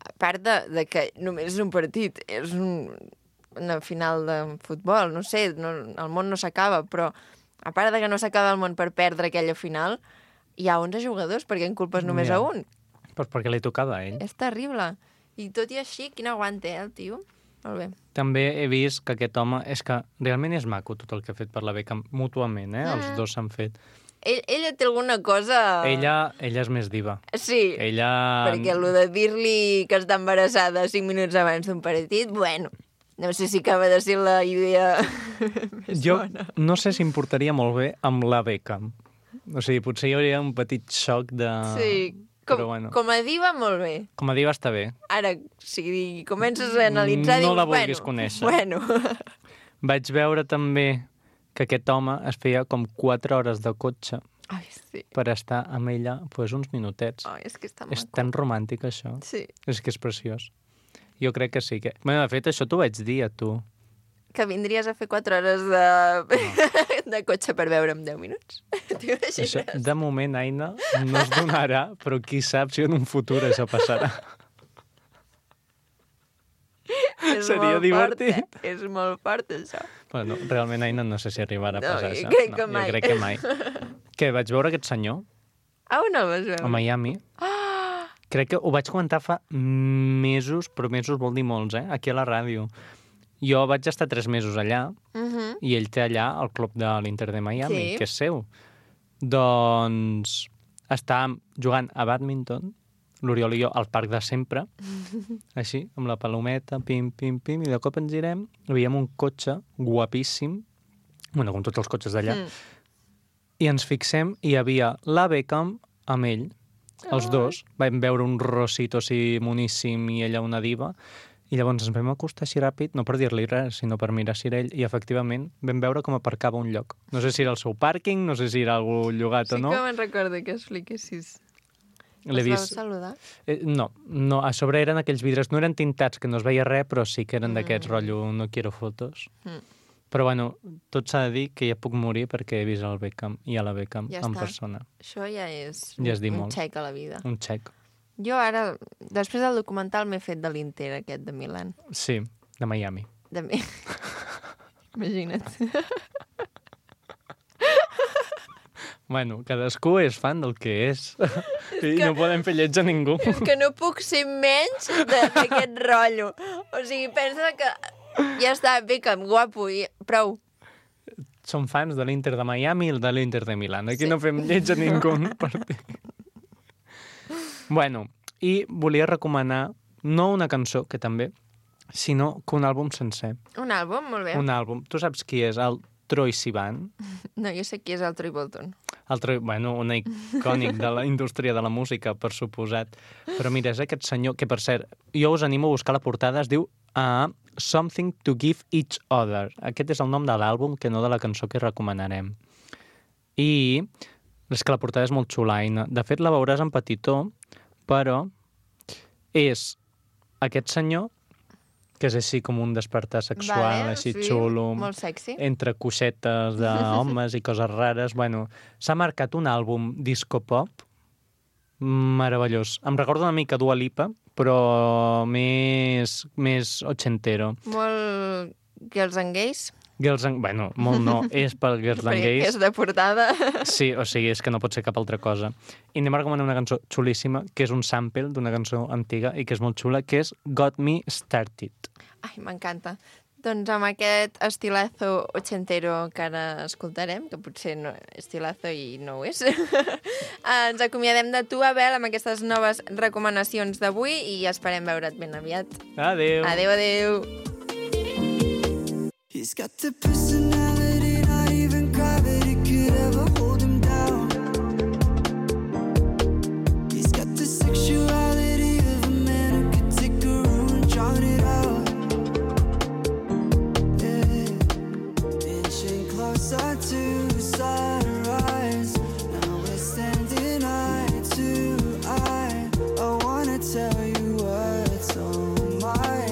A part de, de que només és un partit, és un, una final de futbol, no sé, no, el món no s'acaba, però a part de que no s'acaba el món per perdre aquella final, hi ha onze jugadors, perquè en culpes només
Ja.
a un.
Però perquè li tocava a ell.
És terrible. I tot i així, quin aguant té, eh, el tio? Molt bé.
També he vist que aquest home... És que realment és maco tot el que ha fet per la Beckham, mútuament, eh? Els
Mm.
dos s'han fet.
Ell, ella té alguna cosa...
Ella, ella és més diva.
Sí,
Ella...
perquè el de dir-li que està embarassada cinc minuts abans d'un partit, bueno, no sé si acaba de ser la idea més
Jo
bona.
no sé si em portaria molt bé amb la Beckham. O sigui, potser hi hauria un petit xoc de...
Sí, com,
Però bueno.
com a diva, molt bé.
Com a diva està bé.
Ara, si comences a analitzar,
No
dius,
la vulguis
bueno,
conèixer.
Bueno,
Vaig veure també que aquest home es feia com quatre hores de cotxe
Ai, sí.
per estar amb ella pues, uns minutets.
Ai, és que està
És
maco.
tan romàntic, això.
Sí.
És que és preciós. Jo crec que sí. Que... Bueno, de fet, això t'ho vaig dir a tu.
Que vindries a fer quatre hores de, no. de cotxe per veure en deu minuts.
Això, de moment, Aina, no es donarà, però qui sap si en un futur això passarà.
És
Seria
molt
divertit.
Fort, eh? És molt fort, això.
Bueno, realment, Aina, no sé si arribarà a
No,
passar
jo
això.
crec
no,
que mai.
Jo crec que mai. Què, vaig veure aquest senyor
Ah, on el vas veure?
a Miami.
Ah!
Crec que ho vaig comentar fa mesos, però mesos vol dir molts, eh? Aquí a la ràdio. Jo vaig estar tres mesos allà
Uh -huh.
i ell té allà el club de l'Inter de Miami,
Sí.
que és seu. Doncs estàvem jugant a bàdminton, l'Oriol i jo, al parc de sempre, així, amb la palometa, pim, pim, pim, i de cop ens girem, veiem un cotxe guapíssim, bueno, com tots els cotxes d'allà,
Mm.
i ens fixem, i hi havia la Beckham amb ell, els dos, vam veure un Rosito així moníssim i ella una diva, i llavors ens vam acostar així ràpid, no per dir-li res, sinó per mirar si era ell, i efectivament vam veure com aparcava un lloc. No sé si era el seu pàrquing, no sé si era algú llogat
Sí
o no.
que me'n recordo que expliquessis.
L'he
Els
vist...
vau saludar?
Eh, no, no, a sobre eren aquells vidres, no eren tintats, que no es veia res, però sí que eren
Mm.
d'aquests rotllo no quiero fotos.
Mm.
Però bueno, tot s'ha de dir que ja puc morir perquè he vist el Beckham i a la Beckham
Ja
en
està.
persona.
Això ja és
Ja es diu
un
molt.
xec a la vida.
Un xec.
Jo ara, després del documental, m'he fet de l'Inter, aquest de Milan.
Sí, de Miami.
De mi... Imagina't.
Bueno, cadascú és fan del que és. I
que-
no podem fer lleig a ningú.
És que no puc ser menys de- d'aquest rotllo. O sigui, pensa que ja està, Beckham, guapo, i prou.
Som fans de l'Inter de Miami i de l'Inter de Milán. Aquí
Sí.
no fem lleig a ningú partit. Bueno, i volia recomanar no una cançó, que també, sinó que un àlbum sencer.
Un àlbum, molt bé.
Un àlbum. Tu saps qui és el Troye Sivan?
No, jo sé qui és el Troy Bolton.
El Troy, bueno, un icònic de la indústria de la música, per suposat. Però mira, és aquest senyor, que per cert, jo us animo a buscar la portada, es diu uh, Something to Give Each Other. Aquest és el nom de l'àlbum, que no de la cançó que recomanarem. I és que la portada és molt xulaina. De fet, la veuràs en petitó, però és aquest senyor, que és així com un despertar sexual,
Vale,
així
sí,
xulo,
molt sexy.
entre coixetes d'homes i coses rares. Bueno, s'ha marcat un àlbum disco-pop meravellós. Em recorda una mica Dua Lipa, però més, més ochentero.
Molt Girls and Gays.
Girls and... Bueno, molt no, és pel Girls and
Perquè
Gays.
és de portada.
Sí, o sigui, és que no pot ser cap altra cosa. I anem a recomanar una cançó xulíssima, que és un sample d'una cançó antiga i que és molt xula, que és Got Me Started.
Ai, m'encanta. Doncs amb aquest estilazo ochentero que ara escoltarem, que potser no estilazo i no ho és, ens acomiadem de tu, Abel, amb aquestes noves recomanacions d'avui i esperem veure't ben aviat.
Adéu.
Adéu, adéu.
He's got the personality, not even gravity could ever hold him down. He's got the sexuality of a man who could take a room and drown it out. Yeah. Inching closer to sunrise. Now we're standing eye to eye. I wanna tell you what's on my,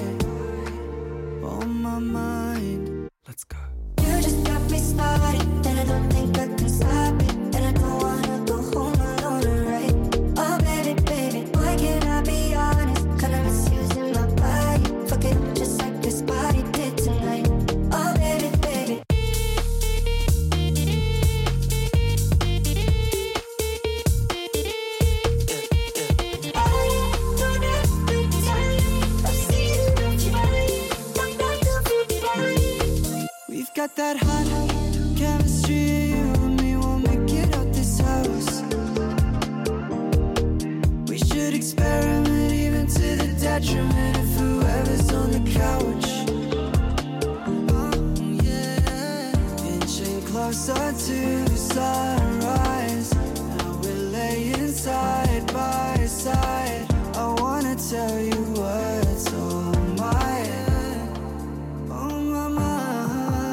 on my mind. Let's go.
You just got me started, and I don't think I can stop it. And I don't wanna go home alone, right? Oh baby, baby, why can't I be honest? Kinda misusing my body, fuck it just like this body did tonight. Oh baby, baby.
We've got that hot chemistry, you and me won't make it out this house. We should experiment even to the detriment of whoever's on the couch. Oh yeah, inching closer to sunrise. Now we're laying side by side. I wanna tell you what's on my, on my mind.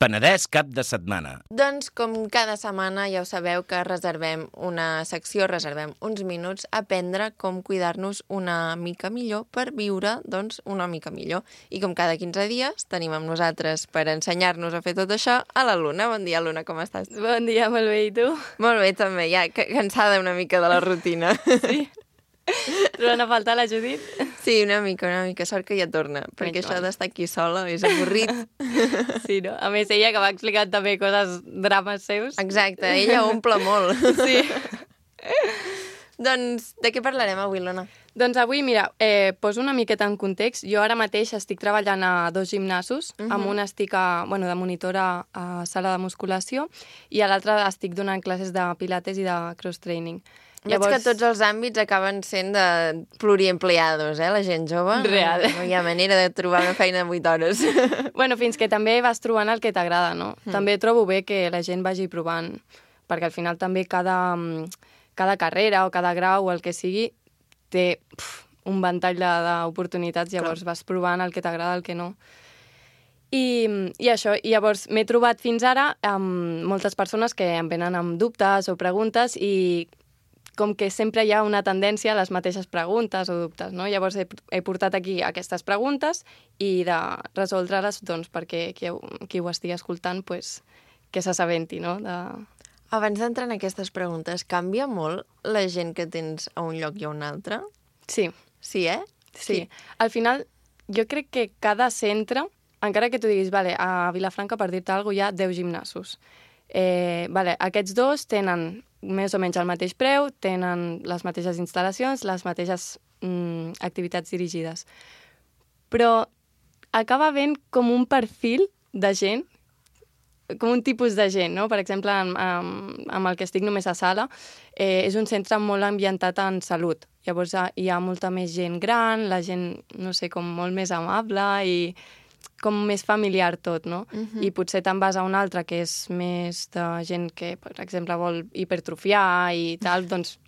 Penedès cap de setmana.
Doncs, com cada setmana, ja ho sabeu que reservem una secció, reservem uns minuts a aprendre com cuidar-nos una mica millor per viure, doncs, una mica millor. I com cada quinze dies tenim amb nosaltres per ensenyar-nos a fer tot això a la Luna. Bon dia, Luna, com estàs?
Bon dia, molt bé, i tu?
Molt bé, també, ja cansada una mica de la rutina.
Sí. Trobant a faltar la Judit?
Sí, una mica, una mica. Sort que ja torna, perquè això d'estar aquí sola és avorrit.
Sí, no? A més, ella que va explicant també coses, drames seus.
Exacte, ella omple molt.
Sí.
Doncs, de què parlarem avui, Lona?
Doncs avui, mira, eh, poso una miqueta en context. Jo ara mateix estic treballant a dos gimnasos. Uh -huh. Amb un estic a, bueno, de monitora a sala de musculació i a l'altre estic donant classes de pilates i de cross-training.
Llavors... Veig que tots els àmbits acaben sent de pluriempleados, eh, la gent jove.
Real.
No, no hi ha manera de trobar una feina de vuit hores.
Bueno, fins que també vas trobant el que t'agrada, no? Mm. També trobo bé que la gent vagi provant, perquè al final també cada, cada carrera o cada grau o el que sigui té pf, un ventall d'oportunitats, llavors Clar. Vas provant el que t'agrada, el que no. I, i això, i llavors m'he trobat fins ara amb moltes persones que em venen amb dubtes o preguntes i com que sempre hi ha una tendència a les mateixes preguntes o dubtes, no? Llavors he, he portat aquí aquestes preguntes i de resoldre-les doncs, perquè qui, qui ho estigui escoltant pues, que s'assabenti, no? De...
Abans d'entrar en aquestes preguntes, canvia molt la gent que tens a un lloc i a un altre?
Sí.
Sí, eh?
Sí. sí. Al final, jo crec que cada centre, encara que tu diguis, vale, a Vilafranca, per dir-te alguna cosa, hi ha deu gimnasos. Eh, vale, aquests dos tenen més o menys el mateix preu, tenen les mateixes instal·lacions, les mateixes mm, activitats dirigides. Però acaba havent com un perfil de gent, com un tipus de gent, no? Per exemple, amb, amb, amb el que estic només a sala, eh, és un centre molt ambientat en salut. Llavors hi ha molta més gent gran, la gent, no sé, com molt més amable i com més familiar tot, no? Uh-huh. I potser te'n vas a un altre que és més de gent que, per exemple, vol hipertrofiar i tal, doncs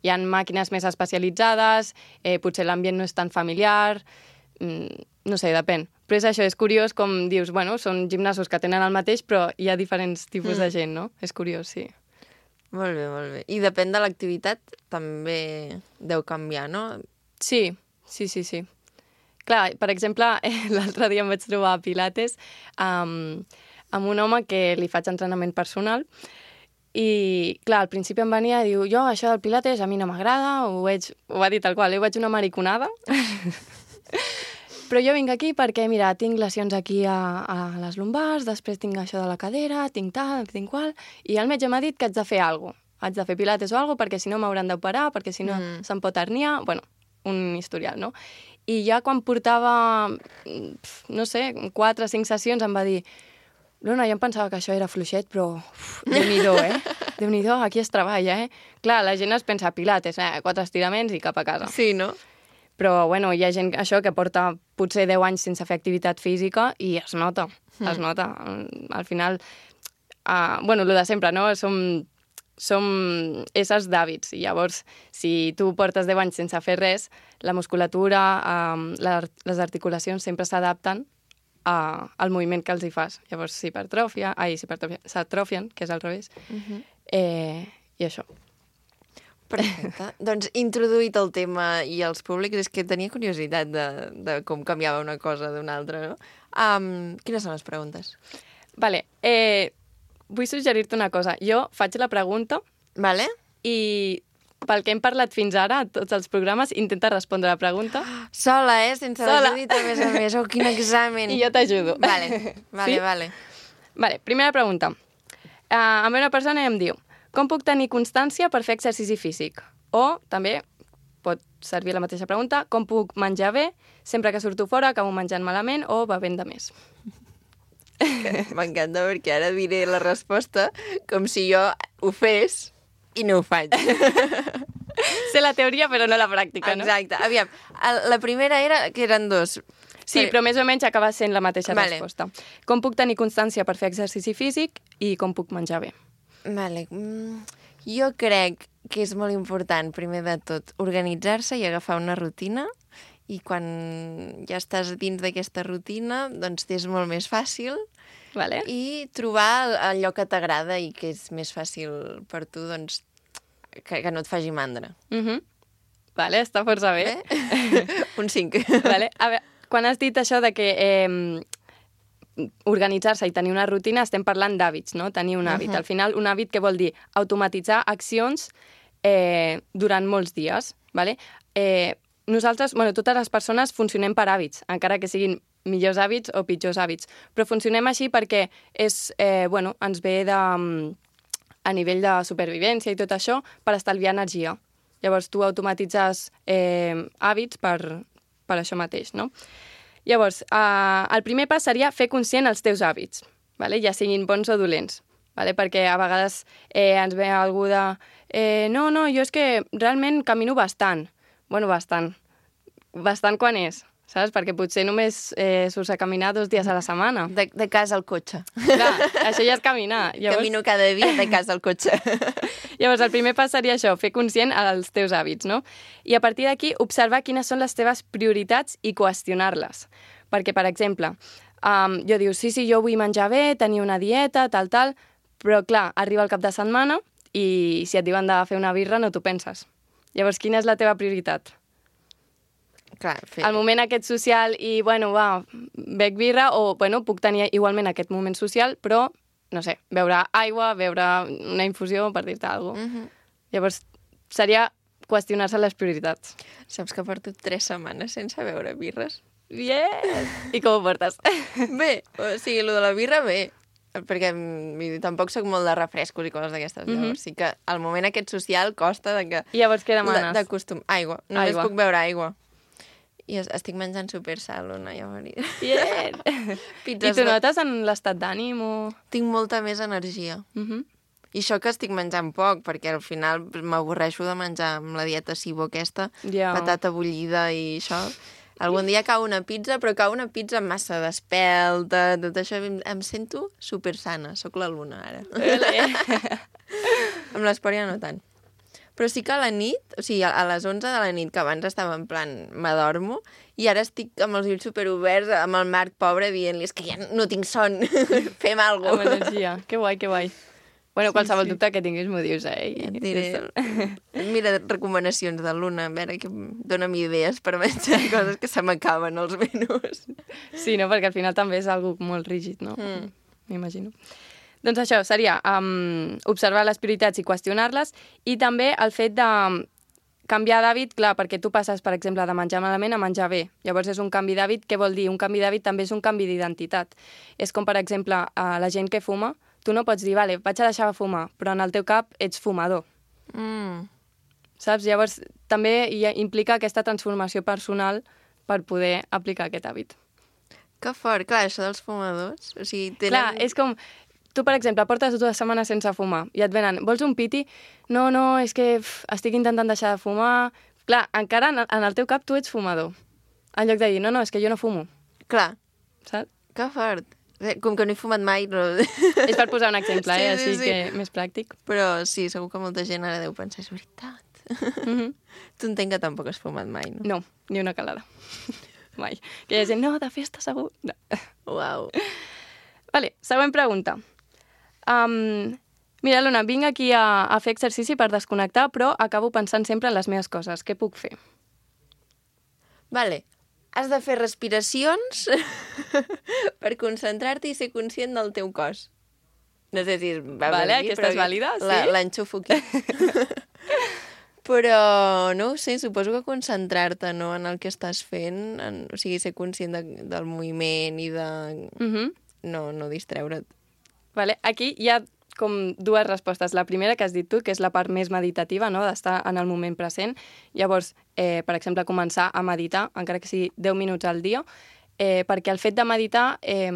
hi ha màquines més especialitzades, eh, potser l'ambient no és tan familiar, mm, no sé, depèn. Però és això, és curiós com dius, bueno, són gimnasos que tenen el mateix, però hi ha diferents tipus mm. de gent, no? És curiós, sí.
Molt bé, molt bé. I depèn de l'activitat, també deu canviar, no?
Sí, sí, sí, sí. Clar, per exemple, l'altre dia em vaig trobar a Pilates amb, amb un home que li faig entrenament personal i, clar, al principi em venia i diu, jo, això del Pilates a mi no m'agrada, ho, veig, ho va dir tal qual, ho veig una mariconada, però jo vinc aquí perquè, mira, tinc lesions aquí a, a les lumbars, després tinc això de la cadera, tinc tal, tinc qual, i el metge m'ha dit que haig de fer alguna cosa, haig de fer Pilates o alguna cosa, perquè si no m'hauran d'operar, perquè si no mm. se'm pot herniar, bueno, un historial, no? I ja quan portava, no sé, quatre o cinc sessions em va dir Luna, jo em pensava que això era fluixet, però uf, Déu-n'hi-do, eh? Déu-n'hi-do, aquí es treballa, eh? Clar, la gent es pensa Pilates, eh? Quatre estiraments i cap a casa.
Sí, no?
Però, bueno, hi ha gent això que porta potser deu anys sense fer activitat física i es nota, mm. es nota. Al final, uh, bueno, el de sempre, no? Som... som éssers d'hàbits, i llavors, si tu portes deu anys sense fer res, la musculatura, eh, les articulacions sempre s'adapten a, al moviment que els hi fas. Llavors s'hipertròfia, ai, s'atrofien, que és al revés, uh-huh. eh, i això.
Perfecte. Doncs introduït el tema i els públics, és que tenia curiositat de, de com canviava una cosa d'una altra, no? Um, quines són les preguntes?
Vale, eh... vull suggerir-te una cosa. Jo faig la pregunta
vale.
i pel que hem parlat fins ara, a tots els programes, intenta respondre la pregunta.
Sola, eh? Sense la Judit, a més a més. Oh, quin examen.
I jo t'ajudo.
Vale, vale,
Sí?
vale.
Vale, primera pregunta. Uh, a mi una persona em diu, com puc tenir constància per fer exercici físic? O, també, pot servir la mateixa pregunta, com puc menjar bé? Sempre que surto fora acabo menjant malament o bevent de més.
M'encanta perquè ara diré la resposta com si jo ho fes i no ho faig.
Sé la teoria, però no la pràctica, no?
Exacte. Aviam, el- la primera era que eren dos.
Sí, però més o menys acaba sent la mateixa
Vale.
resposta. Com puc tenir constància per fer exercici físic i com puc menjar bé?
Vale. Mm, jo crec que és molt important, primer de tot, organitzar-se i agafar una rutina, i quan ja estàs dins d'aquesta rutina, doncs t'és molt més fàcil,
vale.
i trobar allò que t'agrada i que és més fàcil per tu, doncs, que, que no et faci mandra.
Uh -huh. Vale, està força bé.
Un cinc.
Vale. A veure, quan has dit això de que eh, organitzar-se i tenir una rutina, estem parlant d'hàbits, no? Tenir un hàbit.
Uh-huh.
Al final, un hàbit que vol dir automatitzar accions eh, durant molts dies. Vale? Eh, nosaltres, bueno, totes les persones funcionem per hàbits, encara que siguin millors hàbits o pitjors hàbits. Però funcionem així perquè és, eh, bueno, ens ve de, a nivell de supervivència i tot això per estalviar energia. Llavors, tu automatitzes eh, hàbits per, per això mateix, no? Llavors, eh, el primer pas seria fer conscient els teus hàbits, vale? Ja siguin bons o dolents, vale? Perquè a vegades eh, ens ve algú de eh, no, no, jo és que realment camino bastant. Bueno, bastant. Bastant quan és, saps? Perquè potser només eh, surts a caminar dos dies a la setmana.
De, de casa al cotxe.
Clar, això ja és caminar. Llavors...
Camino cada dia de casa al cotxe.
Llavors, el primer pas seria això, fer conscient els teus hàbits, no? I a partir d'aquí, observar quines són les teves prioritats i qüestionar-les. Perquè, per exemple, um, jo dius, sí, sí, jo vull menjar bé, tenir una dieta, tal, tal, però, clar, arriba el cap de setmana i si et diuen de fer una birra no t'ho penses. Llavors, quina és la teva prioritat?
Clar, fer...
El moment aquest social i, bueno, va, bec birra o, bueno, puc tenir igualment aquest moment social, però, no sé, beure aigua, beure una infusió, per dir-te alguna cosa.
Uh -huh.
Llavors, seria qüestionar-se les prioritats.
Saps que porto tres setmanes sense beure birres?
Bien! I com ho portes?
Bé, o sigui, el de la birra, bé. Perquè vull dir, tampoc soc molt de refrescos i coses d'aquestes.
Mhm.
Llavors, sí que el moment aquest social costa de que...
I llavors què demanes?
De costum. Aigua. Només
Aigua.
puc beure aigua. I es- estic menjant super sal, una, llavors.
Bien!
Pizzas
I tu
de-
notes en l'estat d'ànim o...?
Tinc molta més energia.
Uh -huh.
I això que estic menjant poc, perquè al final m'avorreixo de menjar amb la dieta Sibo aquesta,
Ja.
patata bullida i això. Algun dia cau una pizza, però cau una pizza massa d'espelta, tot això. Em, em sento super sana, sóc la Luna ara. Amb l'esport ja no tant. Però sí que a la nit, o sigui, a les onze de la nit, que abans estava en plan, m'adormo, i ara estic amb els ulls superoberts, amb el Marc pobre, dient-li, és que ja no tinc son, fem alguna
Amb energia. Que guai, que guai. Bueno, qualsevol sí, sí. dubte que tinguis m'ho dius, eh?
Ja et diré. Mira, recomanacions de Luna, a veure, que dóna'm idees per menjar coses que se m'acaben els menús.
Sí, no? Perquè al final també és algo molt rígid, no?
Mm.
M'imagino. Doncs això seria um, observar les prioritats i qüestionar-les, i també el fet de canviar d'hàbit, clar, perquè tu passes, per exemple, de menjar malament a menjar bé. Llavors és un canvi d'hàbit. Què vol dir? Un canvi d'hàbit també és un canvi d'identitat. És com, per exemple, a la gent que fuma, tu no pots dir, vale, vaig a deixar de fumar, però en el teu cap ets fumador.
Mm.
Saps? Llavors també hi ha, implica aquesta transformació personal per poder aplicar aquest hàbit.
Que fort, clar, això dels fumadors. O sigui, tenen...
Clar, és com... Tu, per exemple, portes dues setmanes sense fumar i et venen, vols un piti? No, no, és que uf, estic intentant deixar de fumar. Clar, encara en, en el teu cap tu ets fumador. En lloc de dir, no, no, és que jo no fumo.
Clar.
Saps?
Que fort. Com que no he fumat mai... No...
És per posar un exemple,
sí,
eh?
sí,
Així
sí.
que més pràctic.
Però sí, segur que molta gent ara deu pensar, és veritat.
Mm-hmm.
Tu entenc que tampoc has fumat mai, no?
No, ni una calada. Mai. Que hi ha gent, no, de festa segur. No.
Uau.
Vale, següent pregunta. Um, mira, Luna, vinc aquí a, a fer exercici per desconnectar, però acabo pensant sempre en les meves coses. Què puc fer?
Vale. Has de fer respiracions per concentrar-te i ser conscient del teu cos. No sé si va
Vale,
per mi,
aquesta és vàlida, sí.
L'enxufo aquí. Però, no ho sé, suposo que concentrar-te, no?, en el que estàs fent, en, o sigui, ser conscient de, del moviment i de...
Mhm.
No, no distreure't.
Vale. Aquí hi ha com dues respostes. La primera que has dit tu, que és la part més meditativa, no?, d'estar en el moment present. Llavors, eh, per exemple, començar a meditar, encara que sigui deu minuts al dia, eh, perquè el fet de meditar, eh,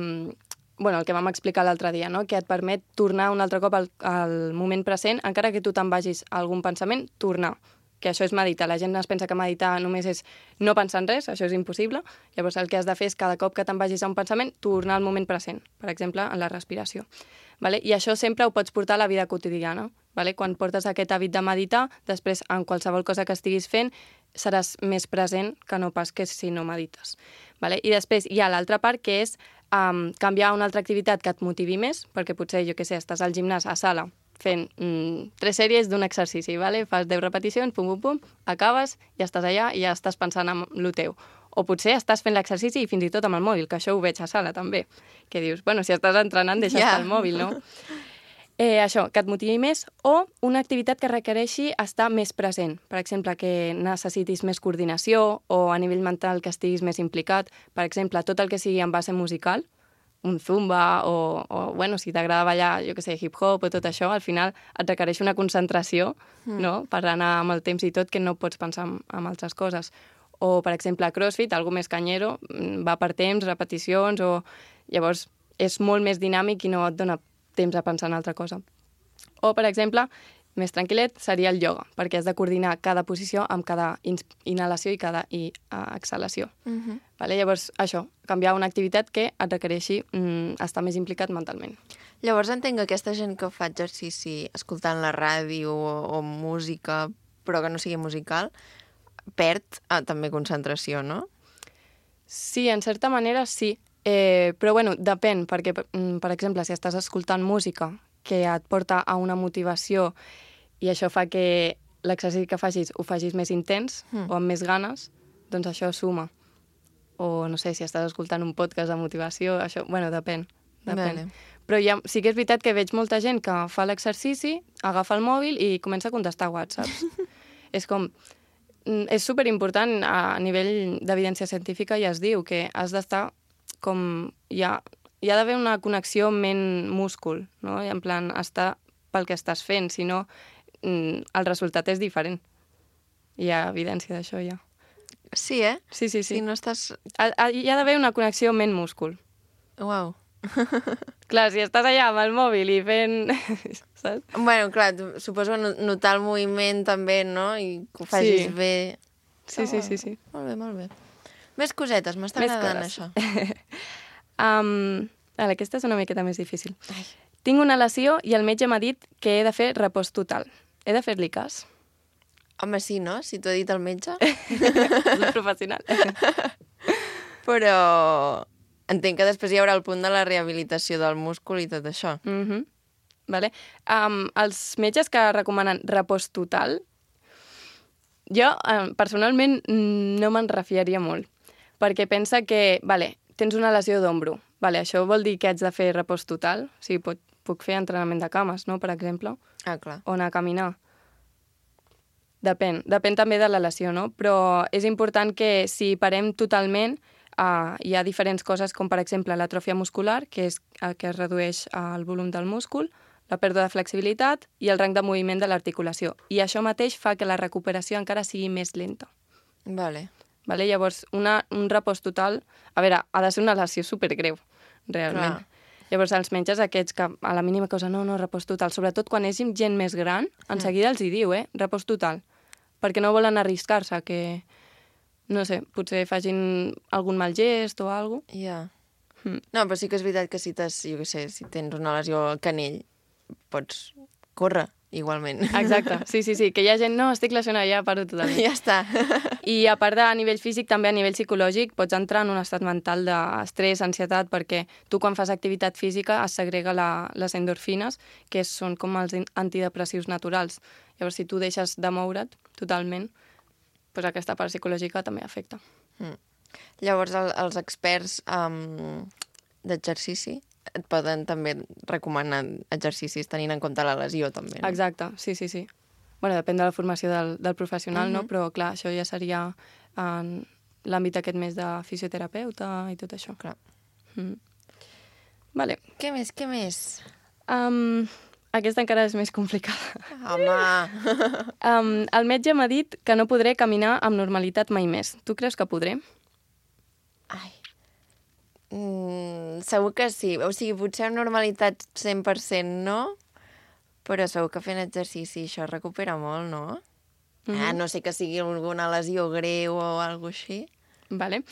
bueno, el que vam explicar l'altre dia, no?, que et permet tornar un altre cop al, al moment present, encara que tu te'n vagis a algun pensament, tornar, que això és meditar. La gent es pensa que meditar només és no pensar en res, això és impossible. Llavors el que has de fer és cada cop que te'n vagis a un pensament, tornar al moment present, per exemple, en la respiració. Vale? I això sempre ho pots portar a la vida quotidiana. Vale? Quan portes aquest hàbit de meditar, després en qualsevol cosa que estiguis fent seràs més present que no pas que si no medites. Vale? I després hi ha l'altra part, que és um, canviar una altra activitat que et motivi més, perquè potser, jo què sé, estàs al gimnàs a sala fent mm, tres sèries d'un exercici, vale? Fas deu repeticions, pum, pum, pum, acabes, ja estàs allà i ja estàs pensant en lo teu. O potser estàs fent l'exercici i fins i tot amb el mòbil, que això ho veig a sala també, que dius, bueno, si estàs entrenant, deixa yeah. estar el mòbil, no? Eh, això, que et motivi més, o una activitat que requereixi estar més present. Per exemple, que necessitis més coordinació o a nivell mental que estiguis més implicat. Per exemple, tot el que sigui en base musical, un zumba o, o bueno, si t'agrada ballar, jo que sé, hip-hop o tot això, al final et requereix una concentració, mm. no?, per anar amb el temps i tot, que no pots pensar en, en altres coses. O, per exemple, CrossFit, algo més canyero, va per temps, repeticions, o llavors és molt més dinàmic i no et dona temps a pensar en altra cosa. O, per exemple, més tranquil·let, seria el ioga, perquè has de coordinar cada posició amb cada inhalació i cada i, uh, exhalació.
Mm-hmm.
Vale? Llavors, això, canviar una activitat que et requereixi mm, estar més implicat mentalment.
Llavors entenc que aquesta gent que fa exercici escoltant la ràdio o, o música, però que no sigui musical, perd ah, també concentració, no?
Sí, en certa manera sí. Eh, però, bueno, depèn, perquè, per exemple, si estàs escoltant música que et porta a una motivació i això fa que l'exercici que facis ho facis més intens mm. o amb més ganes, doncs això suma. O, no sé, si estàs escoltant un podcast de motivació, això, bueno, depèn. depèn.
Vale.
Però ja, sí que és veritat que veig molta gent que fa l'exercici, agafa el mòbil i comença a contestar whatsapps. És com... És superimportant a nivell d'evidència científica, ja es diu que has d'estar com... Hi ha, hi ha d'haver una connexió ment-múscul, no? I en plan, estar pel que estàs fent, si no, el resultat és diferent. Hi ha evidència d'això, ja.
Sí, eh?
Sí, sí, sí.
Si no estàs...
Hi ha d'haver una connexió ment-múscul.
Uau.
Clar, si estàs allà amb el mòbil i fent... Saps?
Bueno, clar, suposo notar el moviment també, no? I que ho facis
sí.
bé.
Sí, oh, sí, sí, sí.
Molt bé, molt bé. Més cosetes, m'està agradant això.
um, ara, aquesta és una miqueta més difícil. Ai. Tinc una lesió i el metge m'ha dit que he de fer repòs total. He de fer-li cas?
Home, sí, no? Si t'ho ha dit el metge.
És un professional.
Però entenc que després hi haurà el punt de la rehabilitació del múscul i tot això.
Mhm. Vale. Um, els metges que recomanen repòs total, jo um, personalment no me'n refiaria molt, perquè pensa que, vale, tens una lesió d'ombro, vale, això vol dir que haig de fer repòs total, o sigui, pot, puc fer entrenament de cames, no?, per exemple,
ah, clar.
o anar a caminar. Depèn, depèn també de la lesió, no? Però és important que si parem totalment, uh, hi ha diferents coses, com per exemple l'atròfia muscular, que és el que es redueix el volum del múscul, la pèrdua de flexibilitat i el rang de moviment de l'articulació. I això mateix fa que la recuperació encara sigui més lenta.
Vale.
Vale? Llavors, una, un repòs total... A veure, ha de ser una lesió supergreu, realment. Clar. Llavors, els metges aquests que a la mínima cosa, no, no, repòs total. Sobretot quan és gent més gran, en seguida els hi diu, eh, repòs total. Perquè no volen arriscar-se que, no sé, potser facin algun mal gest o alguna cosa.
Ja. Yeah. Mm. No, però sí que és veritat que si, jo què sé, si tens una lesió al canell, pots córrer igualment.
Exacte, sí, sí, sí, que hi ha gent, no, estic lesionada, ja paro totalment.
Ja està.
I a part de a nivell físic, també a nivell psicològic, pots entrar en un estat mental d'estrès, ansietat, perquè tu quan fas activitat física es segrega la, les endorfines, que són com els antidepressius naturals. Llavors, si tu deixes de moure't totalment, doncs aquesta part psicològica també afecta.
Mm. Llavors, el, els experts um, d'exercici et poden també recomanar exercicis tenint en compte la lesió, també. No?
Exacte, sí, sí, sí. bueno, depèn de la formació del, del professional,
Mhm.
no? Però, clar, això ja seria en l'àmbit aquest més de fisioterapeuta i tot això.
Clar.
Mm. Vale.
Què més, què més?
Um, aquesta encara és més complicada.
Home!
Um, el metge m'ha dit que no podré caminar amb normalitat mai més. Tu creus que podré?
Ai. Mm, segur que sí. O sigui, potser amb normalitat cent per cent no, però segur que fent exercici això es recupera molt, no? Mm-hmm. Ah, no sé que sigui alguna lesió greu o alguna així.
Vale.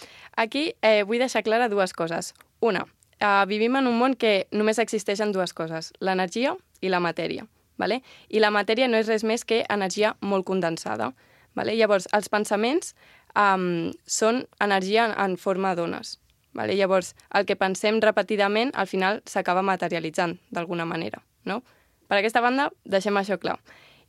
Aquí eh, vull deixar clara dues coses. Una, eh, vivim en un món que només existeixen dues coses, l'energia i la matèria. Vale? I la matèria no és res més que energia molt condensada. Vale? Llavors, els pensaments um, són energia en, en forma d'ones. Vale? Llavors, el que pensem repetidament, al final s'acaba materialitzant d'alguna manera. No? Per aquesta banda, deixem això clar.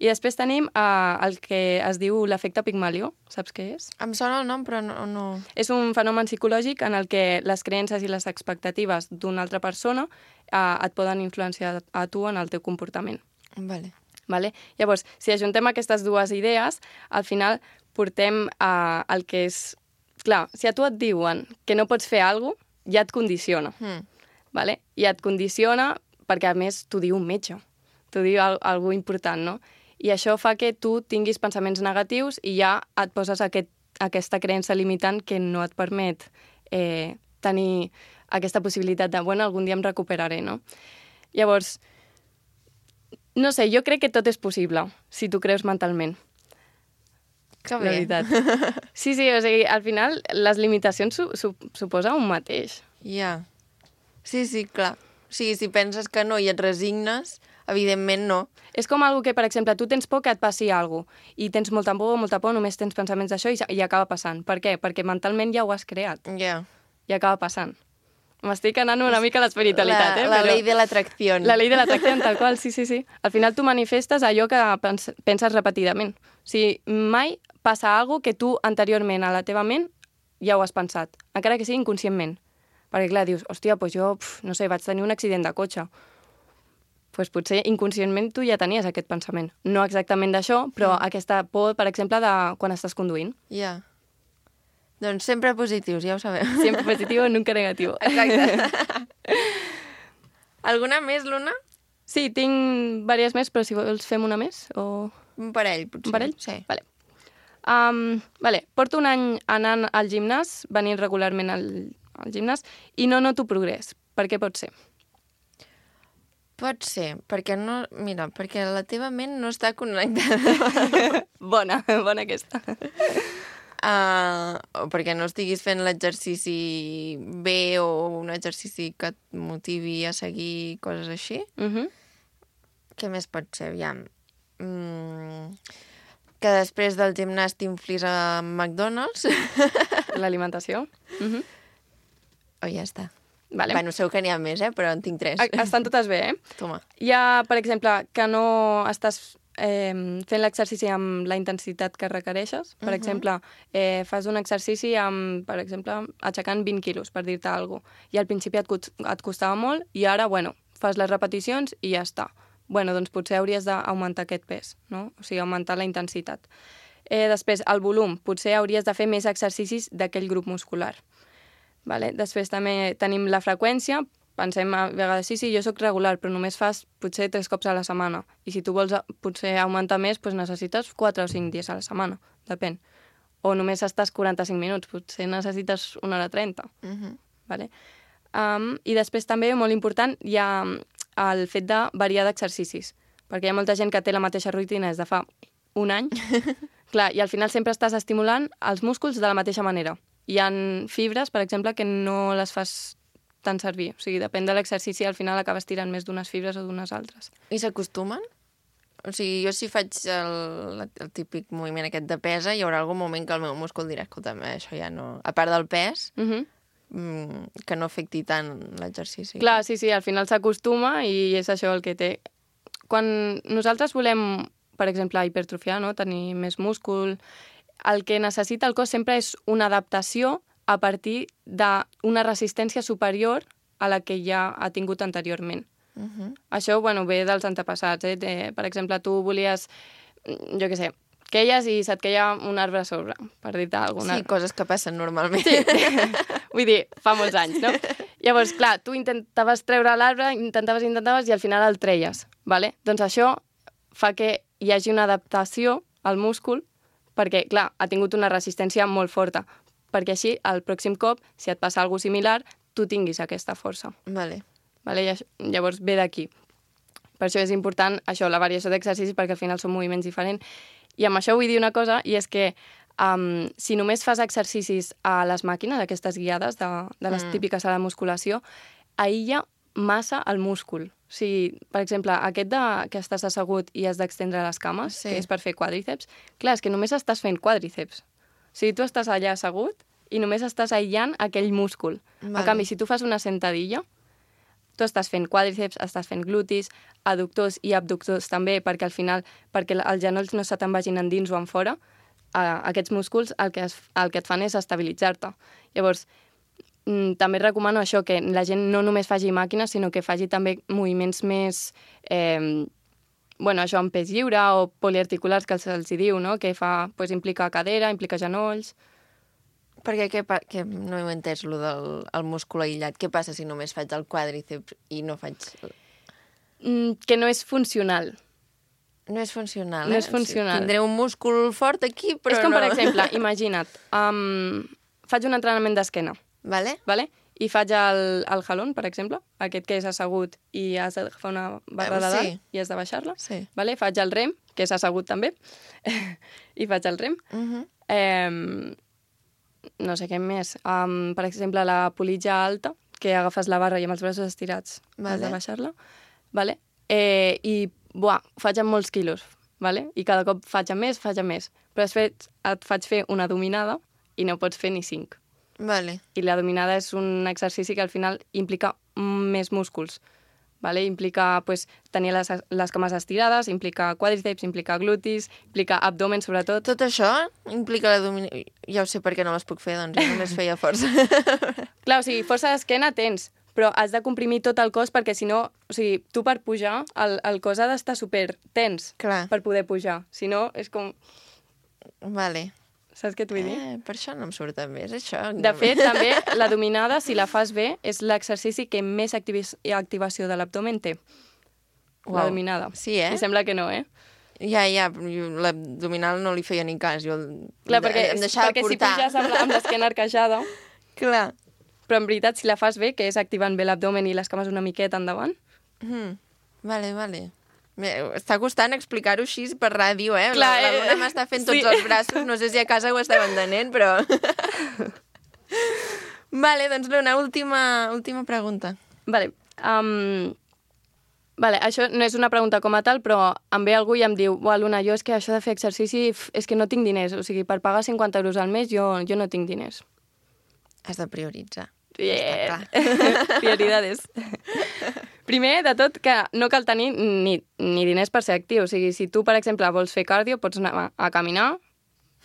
I després tenim uh, el que es diu l'efecte Pigmalió. Saps què és?
Em sona el nom, però no, no...
És un fenomen psicològic en el que les creences i les expectatives d'una altra persona uh, et poden influenciar a tu en el teu comportament.
Vale.
Vale? Llavors, si ajuntem aquestes dues idees, al final portem uh, el que és... Clar, si a tu et diuen que no pots fer alguna cosa, ja et condiciona.
Mm.
Vale? Ja et condiciona perquè, a més, t'ho diu un metge. T'ho diu al algú important, no? I això fa que tu tinguis pensaments negatius i ja et poses aquest, aquesta creença limitant que no et permet eh, tenir aquesta possibilitat de, bueno, algun dia em recuperaré, no? Llavors, no sé, jo crec que tot és possible, si tu creus mentalment.
Que
bé. La veritat. Sí, sí, o sigui, al final les limitacions su su suposa un mateix.
Ja. Yeah. Sí, sí, clar. O sigui, si penses que no i et resignes, evidentment no.
És com algo que, per exemple, tu tens por que et passi alguna cosa i tens molta por, molta por, només tens pensaments d'això i, i acaba passant. Per què? Perquè mentalment ja ho has creat.
Ja. Yeah.
I acaba passant. M'estic anant una mica a l'espiritualitat, eh?
La
Però...
ley de l'atracció.
La ley de l'atracció, tal qual, sí, sí, sí. Al final tu manifestes allò que pens penses repetidament. O sigui, mai passa alguna cosa que tu anteriorment a la teva ment ja ho has pensat, encara que sigui inconscientment. Perquè, clar, dius, hòstia, doncs jo, pf, no sé, vaig tenir un accident de cotxe. Doncs pues potser inconscientment tu ja tenies aquest pensament. No exactament d'això, però mm. aquesta por, per exemple, de quan estàs conduint.
Ja. Yeah. Doncs sempre positius, ja ho sabeu.
Sempre positiu, nunca negatiu.
Exacte. Alguna més, Luna?
Sí, tinc diverses més, però si vols fem una més, o...
Un parell, potser.
Un parell?
Sí.
Vale. Um, vale. Porto un any anant al gimnàs, venint regularment al, al gimnàs, i no noto progrés. Per què pot ser?
Pot ser, perquè no... Mira, perquè la teva ment no està connectada.
Bona, bona aquesta.
Uh, o perquè no estiguis fent l'exercici bé o un exercici que et motivi a seguir coses així.
Uh-huh.
Què més pot ser? Aviam. Mm, que després del gimnàs t'inflis a McDonald's.
L'alimentació. Uh-huh.
O ja està.
Vale.
Bueno, segur que n'hi ha més, eh? Però en tinc tres.
Estan totes bé, eh?
Toma.
Hi ha, per exemple, que no estàs eh, fent l'exercici amb la intensitat que requereixes. Per uh-huh. exemple, eh, fas un exercici amb, per exemple, aixecant vint quilos, per dir-te alguna cosa. I al principi et, et costava molt i ara, bueno, fas les repeticions i ja està. Bueno, doncs potser hauries d'augmentar aquest pes, no? O sigui, augmentar la intensitat. Eh, després, el volum. Potser hauries de fer més exercicis d'aquell grup muscular. Vale? Després també tenim la freqüència. Pensem a vegades, sí, sí, jo sóc regular, però només fas potser tres cops a la setmana. I si tu vols potser augmentar més, doncs necessites quatre o cinc dies a la setmana, depèn. O només estàs quaranta-cinc minuts, potser necessites una hora trenta.
Uh-huh.
Vale? Um, I després també, molt important, hi ha el fet de variar d'exercicis. Perquè hi ha molta gent que té la mateixa rutina des de fa un any. Clar, i al final sempre estàs estimulant els músculs de la mateixa manera. Hi ha fibres, per exemple, que no les fas tant servir. O sigui, depèn de l'exercici, al final acabes tirant més d'unes fibres o d'unes altres.
I s'acostumen? O sigui, jo si faig el, el típic moviment aquest de pesa, hi haurà algun moment que el meu múscul dirà, escolta'm, això ja no... A part del pes,
uh-huh.
mm, que no afecti tant l'exercici.
Clar, sí, sí, al final s'acostuma i és això el que té. Quan nosaltres volem, per exemple, hipertrofiar, no? Tenir més múscul, el que necessita el cos sempre és una adaptació a partir d'una resistència superior a la que ja ha tingut anteriorment.
Uh-huh.
Això, bueno, ve dels antepassats. Eh? De, per exemple, tu volies jo què sé, queies i se't queia un arbre a sobre, per dir-te alguna...
Sí, coses que passen normalment.
Sí. Vull dir, fa molts anys, no? Llavors, clar, tu intentaves treure l'arbre, intentaves, intentaves, i al final el treies, vale? Doncs això fa que hi hagi una adaptació al múscul, perquè, clar, ha tingut una resistència molt forta, perquè així, el pròxim cop, si et passa alguna similar, tu tinguis aquesta força.
Vale.
Vale? I això, llavors ve d'aquí. Per això és important això, la variació d'exercicis, perquè al final són moviments diferents. I amb això vull dir una cosa, i és que um, si només fas exercicis a les màquines, aquestes guiades de, de les mm. típiques a la musculació, aïlla massa el múscul. O sigui, per exemple, aquest de, que estàs assegut i has d'extendre les cames, sí. que és per fer quàdriceps, clar, és que només estàs fent quàdriceps. O sigui, tu estàs allà assegut i només estàs aïllant aquell múscul. Vale. En canvi, si tu fas una sentadilla, tu estàs fent quàdriceps, estàs fent glutis, adductors i abductors també, perquè al final, perquè els genolls no se te'n vagin endins o en fora, eh, aquests músculs el que, es, el que et fan és estabilitzar-te. Llavors, mm, també recomano això, que la gent no només faci màquines, sinó que faci també moviments més... Eh, bueno, això, en pes lliure o poliarticulars, que se'ls diu, no? Que fa, pues, implica cadera, implica genolls...
Perquè què pa... que no he entès lo del el múscul aïllat. Què passa si només faig el quàdriceps i no faig...
Mm, que no és funcional.
No és funcional,
No
eh?
és funcional.
Tindré un múscul fort aquí, però no...
És com, per exemple, imagina't, um, faig un entrenament d'esquena.
Vale.
Vale? I faig el, el jalón, per exemple, aquest que és assegut i has d'agafar una barra de dalt
sí.
i has de baixar-la.
Sí.
Vale? Faig el rem, que és assegut també, i faig el rem.
Uh -huh.
eh, no sé què més. Um, per exemple, la politja alta, que agafes la barra i amb els braços estirats
Vale.
has de baixar-la. Vale? Eh, I, buah, faig amb molts quilos. Vale? I cada cop faig amb més, faig amb més. Però després et faig fer una dominada i no pots fer ni cinc.
Vale.
I la dominada és un exercici que al final implica més músculs. Vale? Implica pues, tenir les, les cames estirades, implica quàdriceps, implica glutis, implica abdomen, sobretot.
Tot això implica la dominació... Ja ho sé per què no les puc fer, doncs jo només feia força.
Clar, o sigui, força d'esquena tens, però has de comprimir tot el cos perquè si no, o sigui, tu per pujar, el, el cos ha d'estar super tens
Clar.
per poder pujar. Si no, és com...
Vale.
Saps què t'ho vull dir?
Eh, per això no em surt tan bé, és això.
De fet, també, la dominada, si la fas bé, és l'exercici que més activi activació de l'abdomen té. Uau. La dominada.
Sí, eh?
I sembla que no, eh?
Ja, ja, l'abdominal no li feia ni cas. Jo
Clar, perquè,
em deixava
perquè si
portar.
puges amb, amb l'esquena arquejada...
Clar.
Però en veritat, si la fas bé, que és activant bé l'abdomen i les cames una miqueta endavant...
Mm. Vale, vale. Està costant explicar-ho així per ràdio, eh?
Clar,
la, la Luna m'està fent tots
sí.
els braços, no sé si a casa ho esteu entenent, però... Vale, doncs Luna, última, última pregunta.
Vale. Um, vale, això no és una pregunta com a tal, però em ve algú i em diu «Ua, Luna, jo és que això de fer exercici f, és que no tinc diners, o sigui, per pagar cinquanta euros al mes jo, jo no tinc diners».
Has de prioritzar.
Yeah. Prioridades. Primer de tot, que no cal tenir ni, ni diners per ser actiu. O sigui, si tu, per exemple, vols fer cardio, pots anar a caminar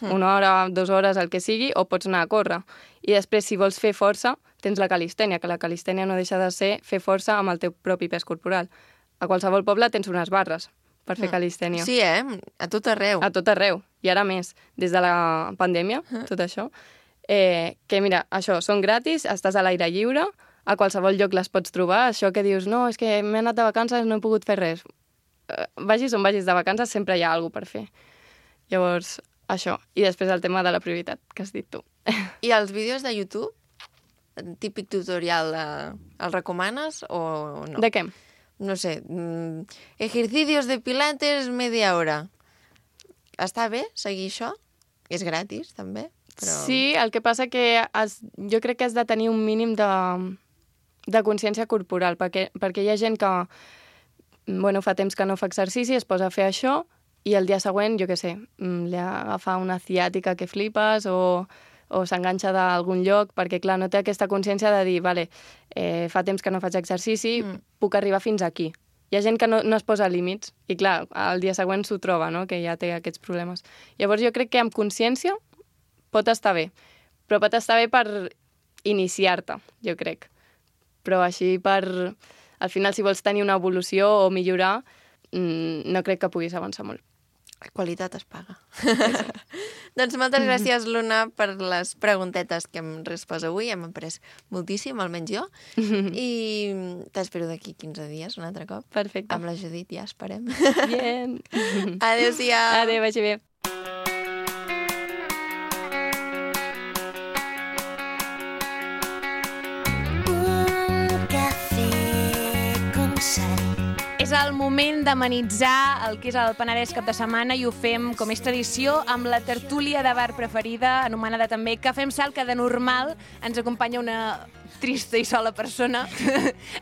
mm. una hora, dues hores, el que sigui, o pots anar a córrer. I després, si vols fer força, tens la calistènia, que la calistènia no deixa de ser fer força amb el teu propi pes corporal. A qualsevol poble tens unes barres per fer mm. calistènia.
Sí, eh? A tot arreu.
A tot arreu. I ara més, des de la pandèmia, mm. tot això. Eh, que mira, això, són gratis, estàs a l'aire lliure, a qualsevol lloc les pots trobar, això que dius, no, és que m'he anat de vacances, no he pogut fer res. Eh, vagis on vagis de vacances, sempre hi ha alguna per fer. Llavors, això. I després el tema de la prioritat, que has dit tu.
I els vídeos de YouTube? Típic tutorial, de... els recomanes o no?
De què?
No sé, mm, ejercicios de pilates media hora. Està bé seguir això? És gratis, també? Però...
Sí, el que passa que has, jo crec que has de tenir un mínim de, de consciència corporal, perquè, perquè hi ha gent que bueno, fa temps que no fa exercici, es posa a fer això, i el dia següent, jo què sé, li agafa una ciàtica que flipes o, o s'enganxa d'algun lloc, perquè, clar, no té aquesta consciència de dir, vale, eh, fa temps que no faig exercici, mm. puc arribar fins aquí. Hi ha gent que no, no es posa límits, i clar, el dia següent s'ho troba, no?, que ja té aquests problemes. Llavors jo crec que amb consciència pot estar bé, però pot estar bé per iniciar-te, jo crec. Però així per... Al final, si vols tenir una evolució o millorar, no crec que puguis avançar molt.
La qualitat es paga. Doncs moltes gràcies, Luna, per les preguntetes que hem respost avui. Hem après moltíssim, almenys jo. I t'espero d'aquí quinze dies, un altre cop.
Perfecte.
Amb la Judit, ja esperem.
Bien.
Adéu-siau.
Adéu, vagi bé.
És el moment d'amenitzar el que és el Penedès cap de setmana i ho fem, com és tradició, amb la tertúlia de bar preferida, anomenada també Cafè amb Sal, que de normal ens acompanya una trista i sola persona.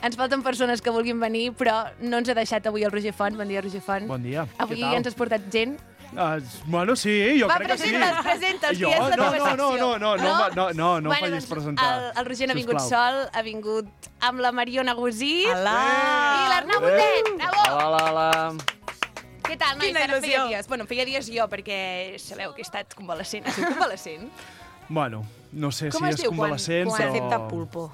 Ens falten persones que vulguin venir, però no ens ha deixat avui el Roger Font. Bon dia, Roger Font.
Bon dia.
Avui ens has portat gent.
Uh, bueno, sí, jo
Va,
crec que sí.
presenta'ls, presenta'ls,
Jo?
que és la
No,
teva
no, no,
secció.
no, no, no, no, no, no, no em
Bueno,
facis
doncs,
presentar.
El, el Roger no ha vingut
Sisplau.
sol, ha vingut amb la Mariona Gusí
Hola.
i l'Arnau Botet. Bravo!
Hola, hola, hola.
Què tal, nois?
Quina
Ara feia
il·lusió.
dies. Bueno, feia dies jo, perquè sabeu que he estat convalescent. Has sigut convalescent?
Bueno, no sé
Com
si
es
és
diu quan-
convalescent,
quan
però...
acepta pulpo.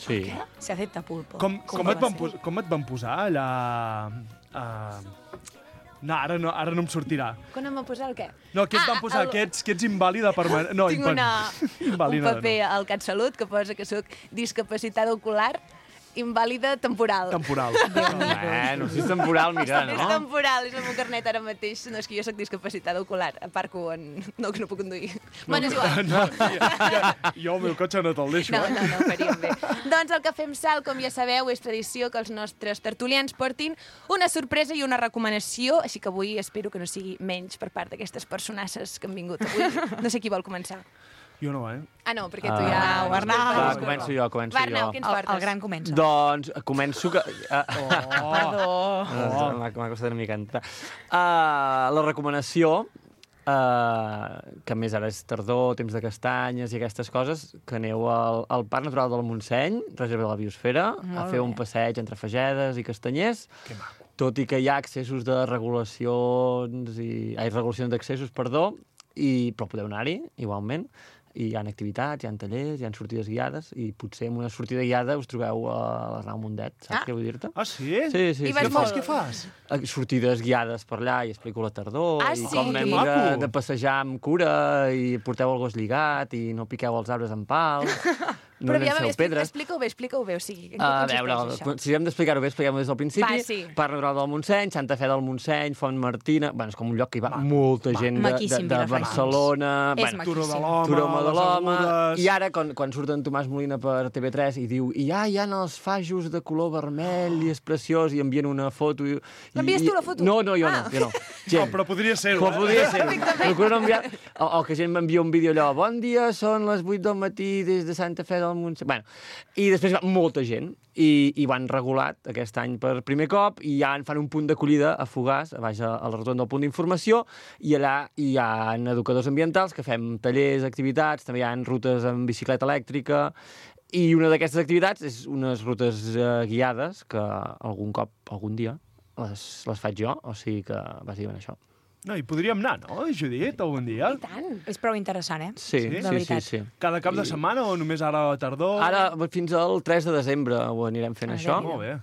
Sí.
Se acepta pulpo.
Com, com, et van, pos- com et van posar allà... Uh... No, ara no, ara no em sortirà.
Quan em va posar el què?
No, què et
Ah,
van posar?
el-
Que ets, que ets invàlida permanent... No,
Tinc
impen-
una, un
invàlida,
paper al CatSalut que posa que sóc discapacitada ocular invàlida temporal.
Temporal.
Bueno, si és temporal, mira,
És
no?
temporal, és el meu carnet ara mateix. No, és que jo sóc discapacitada ocular. Aparco en... No, que no puc conduir.
No,
Bueno, és igual.
no, ja, ja, jo el meu cotxe no te'l deixo,
No,
eh?
no, no, faríem bé. Doncs el Cafè amb Sal, com ja sabeu, és tradició que els nostres tertulians portin una sorpresa i una recomanació, així que avui espero que no sigui menys per part d'aquestes personasses que han vingut avui. No sé qui vol començar.
Jo no, eh?
Ah, no, perquè tu ja...
Arnau, Arnau.
Va, començo jo, començo
Va, Arnau,
jo.
què ens
El,
portes?
el gran comença.
Doncs començo que... Uh,
Oh,
Perdó.
oh. M'ha m'ha costat una mica entrar. Uh, la recomanació, uh, que a més ara és tardor, temps de castanyes i aquestes coses, que aneu al, al Parc Natural del Montseny, reserva de la Biosfera,
Molt
a fer un
bé.
passeig entre Fagedes i Castanyers.
que maco.
Tot i que hi ha accessos de regulacions i... Ai, regulacions d'accessos, perdó, i, però podeu anar-hi, igualment. I hi ha activitats, hi ha tallers, hi ha sortides guiades, i potser en una sortida guiada us trobeu a l'Arnau Mundet, saps
Ah.
què vull dir-te?
Ah, sí?
Sí, sí,
I
sí.
vas
Què
molt.
fas, què fas?
Eh, Sortides guiades per allà i explico la tardor
Ah,
i
sí?
com hem
Que
de,
maco.
de passejar amb cura i porteu el gos lligat i no piqueu els arbres amb pals, no
Però aviam,
llanceu
explica-
pedres.
explica-ho bé, explica-ho bé. O sigui, en què
A
consisteix
veure,
això?
si hem d'explicar-ho bé, expliquem-ho des del principi.
Va, sí.
Parc Natural del Montseny, Santa Fe del Montseny, Font Martina... Bueno, és com un lloc que hi va
Maco.
molta gent de, de,
Maquíssim,
de
Vilafranca.
Barcelona...
És
bueno,
Turó de
maquíssim.
l'Home,
Turó de
les
l'Home...
Agudes...
I ara, quan, quan surt en Tomàs Molina per T V tres i diu i ja hi ha els fajos de color vermell i és preciós i envien una foto... I,
L'envies
i-
tu, la foto?
No, no, jo
Ah.
no. Jo no.
No, però podria ser-ho,
Però
eh?
podria ser. Procuro no enviar... O, o que gent m'envia un vídeo allò, bon dia, són les vuit del matí des de Santa Fe del Montseny... Bueno, i després va molta gent i, i ho han regulat aquest any per primer cop i ja en fan un punt d'acollida a Fogars, a baix a, a la rotonda del punt d'informació, i allà hi ha educadors ambientals que fem tallers, activitats, també hi ha rutes amb bicicleta elèctrica, i una d'aquestes activitats és unes rutes eh, guiades que algun cop, algun dia, les, les faig jo, o sigui que bàsicament això.
No, hi podríem anar, no, Judit, algun dia?
I tant.
És prou interessant, eh?
Sí,
Sí?
sí,
De
sí,
veritat.
sí.
Cada cap de setmana o només ara a la tardor?
Ara, fins al tres de desembre ho anirem fent,
Ah,
això.
Déu-n'hi-do. Molt bé.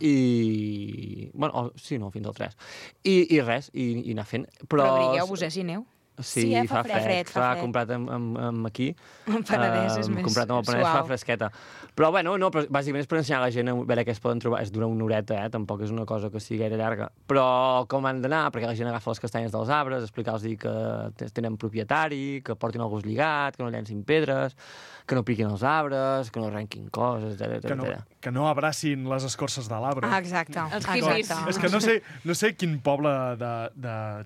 I... Bueno, oh, sí, no, fins al tres. I, i res, i, i anar fent. Però,
Però abrigueu-vos, eh, si aneu.
Sí,
Sí, eh,
fa,
fa
fred.
fred, fa
Clar,
fred.
comprat amb, amb, amb aquí.
El Penedès és
Em,
més
comprat amb el Penedès
suau.
fa fresqueta. Però, bueno, no, però bàsicament és per ensenyar a la gent a veure què es poden trobar. És dura una horeta, eh? Tampoc és una cosa que sigui gaire llarga. Però com han d'anar, perquè la gent agafa les castanyes dels arbres, explicar-los que t- tenen propietari, que portin el gos lligat, que no llencin pedres, que no piquin els arbres, que no arrenquin coses, etcètera,
Que no,
etcètera.
que no abracin les escorces de l'arbre.
Ah, exacte.
Els
exacte.
hippies.
És que no sé, no sé quin poble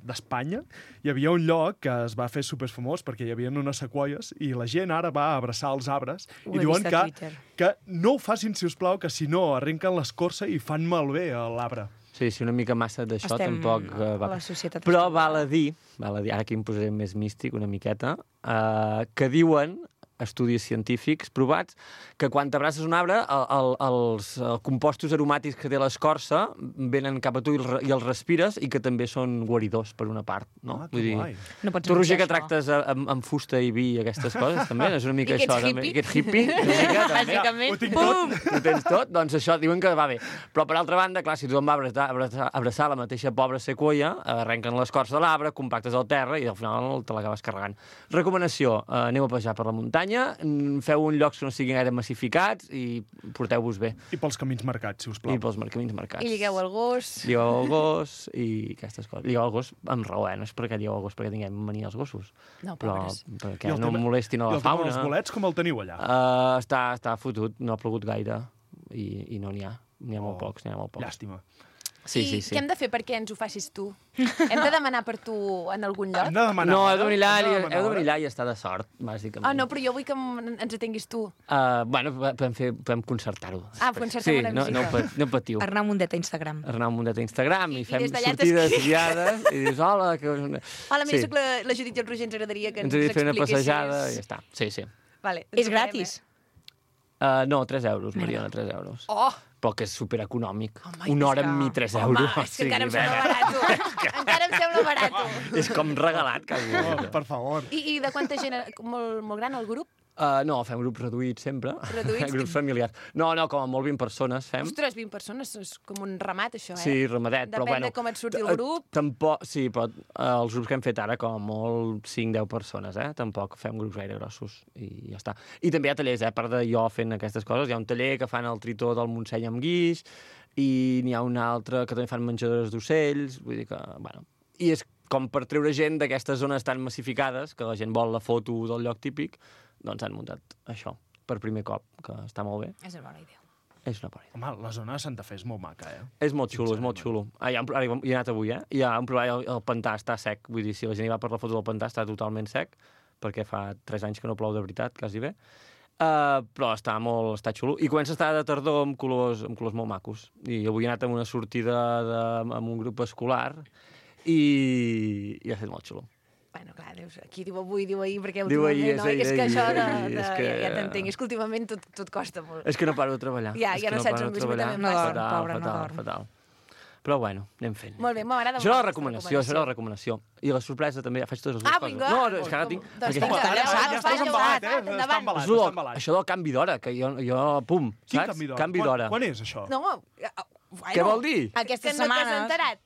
d'Espanya de, de, hi havia un lloc que es va fer superfamós perquè hi havia unes sequoies i la gent ara va a abraçar els arbres
Ho
i
he
diuen
vist a
que,
Twitter.
que no ho facin, si us plau, que si no arrenquen l'escorça i fan malbé a l'arbre.
Sí, sí, una mica massa d'això
Estem
tampoc eh, va.
a la societat
Però
espanyola.
val a dir, val a dir, ara aquí em posaré més místic una miqueta, eh, que diuen
estudis científics provats, que quan t'abraces un arbre, el, el, els el compostos aromàtics que té l'escorça venen cap a tu i, el, i els respires, i que també són guaridors, per una part. No?
Ah,
Vull dir,
No pots
tu, Roger,
menjar
que tractes amb, amb fusta i vi i aquestes coses, també, és una mica
I que ets
això. També.
hippie.
I que ets hippie. Una mica, també.
Bàsicament,
Ho tinc
pum!
Ho tens tot? Doncs això, diuen que va bé. Però, per altra banda, clar, si tu em vas abraçar, abraçar, abraçar la mateixa pobra sequoia, arrenquen l'escorça de l'arbre, compactes al terra i al final te l'acabes carregant. Recomanació, eh, aneu a passejar per la muntanya, feu un llocs que no siguin gaire massificats i porteu-vos bé.
I pels camins marcats, si us plau.
I pels camins marcats.
I lligueu el gos.
Lligueu el gos i aquestes coses. Lligueu el gos amb raó, eh? No és perquè lligueu el gos perquè tinguem mania als gossos.
No,
però
pobres.
perquè
I el
no
tema-
molestin a
I
la
el tema
fauna.
dels bolets, com el teniu allà?
Uh, està, està fotut, no ha plogut gaire i, i no n'hi ha. N'hi ha molt
Oh,
pocs, n'hi ha molt pocs.
Llàstima.
Sí,
I
sí, sí.
què hem de fer perquè ens ho facis tu? Hem de demanar per tu en algun lloc?
Hem de demanar
No,
hora,
heu de venir allà,
hem de
i-
demanar
heu de
hora.
venir allà i estar de sort, bàsicament.
Ah, no, però jo vull que em- ens atenguis tu.
Uh, bueno, podem, fer, podem concertar-ho.
Ah, concertem
sí,
una
no, no,
visita.
pat- no patiu.
Arnau Mundet a Instagram.
Arnau Mundet a Instagram i,
I
fem
des d'allà
sortides
t'escriu.
guiades i dius, hola, que...
Hola, mira,
Sí.
soc la, la Judit i el Roger, ens agradaria que ens,
Ens he de fer una
expliquessis.
passejada i ja està. Sí, sí.
Vale,
És
ens ho farem,
gratis.
Uh, no, tres euros, Mariona, tres euros.
Eh? Oh!
Però que és superaeconòmic.
Home,
Una
és
hora
que-
amb mi, tres
Home,
euros.
és que encara em
O
sembla
sigui,
barat. Encara em sembla barat.
és com regalat, quasi.
Oh, per favor.
I, I de quanta gent? Molt, molt gran el grup?
Uh, no, fem grups reduïts sempre.
Reduïts?
grups familiars. No, no, com a molt vint persones fem.
Ostres, vint persones, és com un ramat, això, eh?
Sí, ramadet, però
Depèn
bueno...
de com et surti el
eh,
grup.
Tampoc, sí, però eh, els grups que hem fet ara, com a molt cinc deu persones, eh? Tampoc fem grups gaire grossos i ja està. I també hi ha tallers, eh? A part de jo fent aquestes coses, hi ha un taller que fan el tritó del Montseny amb guix i n'hi ha un altre que també fan menjadores d'ocells, vull dir que, bueno... I és com per treure gent d'aquestes zones tan massificades, que la gent vol la foto del lloc típic, doncs han muntat això per primer cop, que està molt bé.
És una bona idea.
És una bona idea.
Home, la zona de Santa Fe és molt maca, eh?
És molt xulo, és molt xulo. Ah, hi ha un, ara hi he anat avui, eh? Hi ha un problema, el, el pantà està sec. Vull dir, si la gent hi va per la foto del pantà, està totalment sec, perquè fa tres anys que no plou de veritat, quasi bé. Uh, però està molt està xulo. I comença a estar de tardor amb colors, amb colors molt macos. I avui he anat amb una sortida de, amb un grup escolar i, i ha estat molt xulo.
Bueno, clar, dius, aquí diu avui, diu ahir, perquè
Diu
últimament,
ahir, és
no? És,
ahir,
que això de,
ahir,
de,
és que-
ja, ja t'entenc, és que últimament tot, tot costa molt.
És que no paro de treballar.
Ja,
és
ja
que
no saps
paro
on
de
vis,
treballar.
també em passa.
Fatal,
Pobre, no
fatal,
dorm.
fatal. Però bueno, anem fent.
Molt bé, m'agrada
Això era la
molt aquesta
recomanació, això era la recomanació. I la sorpresa també, faig totes les dues
Ah,
coses.
vinga.
No, és que ara tinc...
Doncs
perquè-
vinga,
Ara,
endavant,
ja estàs
endavant,
embalat, eh?
endavant.
Està embalat,
Això,
està
del,
embalat.
això del canvi d'hora, que jo, jo pum,
Quin
saps?
canvi d'hora?
Canvi d'hora.
Quan, quan és això?
No, bueno,
Què vol dir?
Aquesta
que no t'has
setmana...
enterat.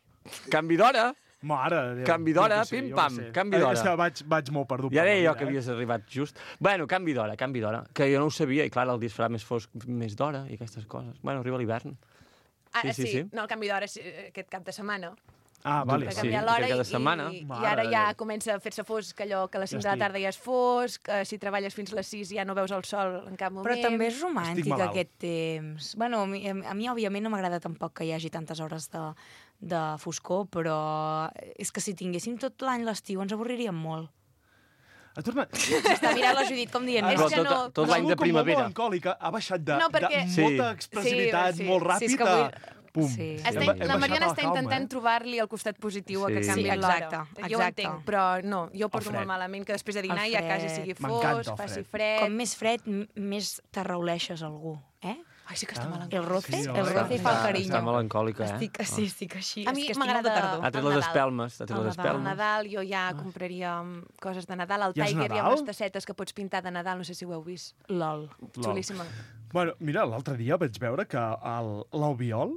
Canvi d'hora?
Mare de Déu.
Canvi d'hora,
Jo què sé,
pim,
jo
pam,
què sé.
canvi
Eh,
d'hora.
És que vaig, vaig molt perdut.
Ja
per la
deia jo
vida,
que
eh?
havies arribat just. Bueno, canvi d'hora, canvi d'hora. Que jo no ho sabia, i clar, el dia es farà més fosc, més d'hora i aquestes coses. Bueno, arriba l'hivern.
Ah,
Sí, sí,
sí,
sí.
no, el canvi d'hora és eh, aquest cap de setmana.
Ah, vale.
Va
Sí,
canviar
que
l'hora
cada
i,
setmana.
i, i
Mare
ara
de
ja
Déu.
comença a fer-se fosc, allò que a les cinc
Ja
de la
estic.
tarda ja és fosc, eh, si treballes fins a les sis ja no veus el sol en cap moment.
Però també és
Estic
romàntic
malalt.
aquest temps. Bueno, a mi, a mi òbviament no m'agrada tampoc que hi hagi tantes hores de, de foscor, però és que si tinguéssim tot l'any l'estiu ens avorriríem molt.
Ha tornat...
Està mirant la Judit com dient...
És
Però
que
tot,
no-
tot
Ha
l'any
sigut
de
com molt
primavera.
melancòlica, ha baixat de,
No, perquè-
de
Sí.
molta expressivitat,
Sí, sí.
molt
Sí, és
ràpid
que
a...
avui-
Pum.
Sí.
Està,
Hem- hem
la
baixat
Mariona
a la
està
calma,
intentant
eh?
trobar-li el costat positiu a
Sí.
que canvi
Sí,
l'hora.
exacte,
Jo ho
exacte.
entenc, però no, jo porto
fred.
molt malament que després de dinar
El
ja quasi
fred.
sigui
M'encanta
fosc,
el
faci
fred.
fred.
Com més fred, m- més t'arrauleixes algú, eh?
Ai, sí que està
Ah.
melancòlic.
El roce,
Sí,
el
home.
roce fa el
Està,
carinyo.
està melancòlica, eh?
Estic, sí, estic així.
A
és
mi
que estic molt de
m'agrada-
tardor.
Ha tret
El
les
Nadal.
espelmes, ha tret
El
les
Nadal.
Al
espelmes.
Nadal jo ja compraria um, coses de Nadal. Al
Ja és
Tiger hi ha
Nadal?
unes tassetes que pots pintar de Nadal, no sé si ho heu vist.
Lol.
Xulíssima.
Bueno, mira, l'altre dia vaig veure que el- l'Albiol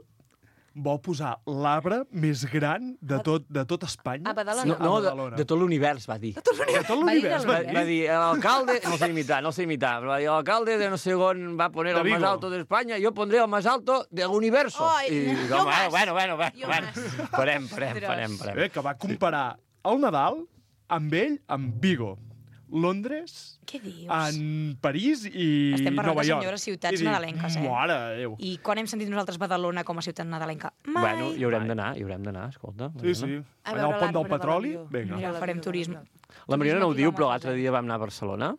vol posar l'arbre més gran de tot, de tot Espanya.
A Badalona.
No, no
A
de,
Badalona.
de tot l'univers, va dir.
De tot l'univers,
Va,
va
va
dir.
dir, l'alcalde, no sé imitar, no sé imitar, però va dir, l'alcalde de no sé on va poner
De
el más
Vigo.
alto de España, yo pondré el más alto del universo.
Ai,
I
jo
com,
más.
bueno, bueno, bueno,
Jo
bueno.
más.
Parem, parem,
Ostres.
parem, parem.
Eh, que va comparar el Nadal amb ell, amb Vigo, Londres,
Què dius?
en París i
Estem parlant
Nova
de
York.
senyores ciutats
I dic,
nadalenques, eh?
Mare de Déu.
I quan hem sentit nosaltres Badalona com a ciutat nadalenca? Mai.
Bueno, hi haurem d'anar, hi haurem d'anar, escolta.
Sí, sí.
A
Allà
veure
al pont del
l'arbre de
petroli,
l'avió.
vinga.
Mira, farem turisme.
La Mariona no ho
Turisme
diu, però
quilòmetres,
l'altre dia vam anar a Barcelona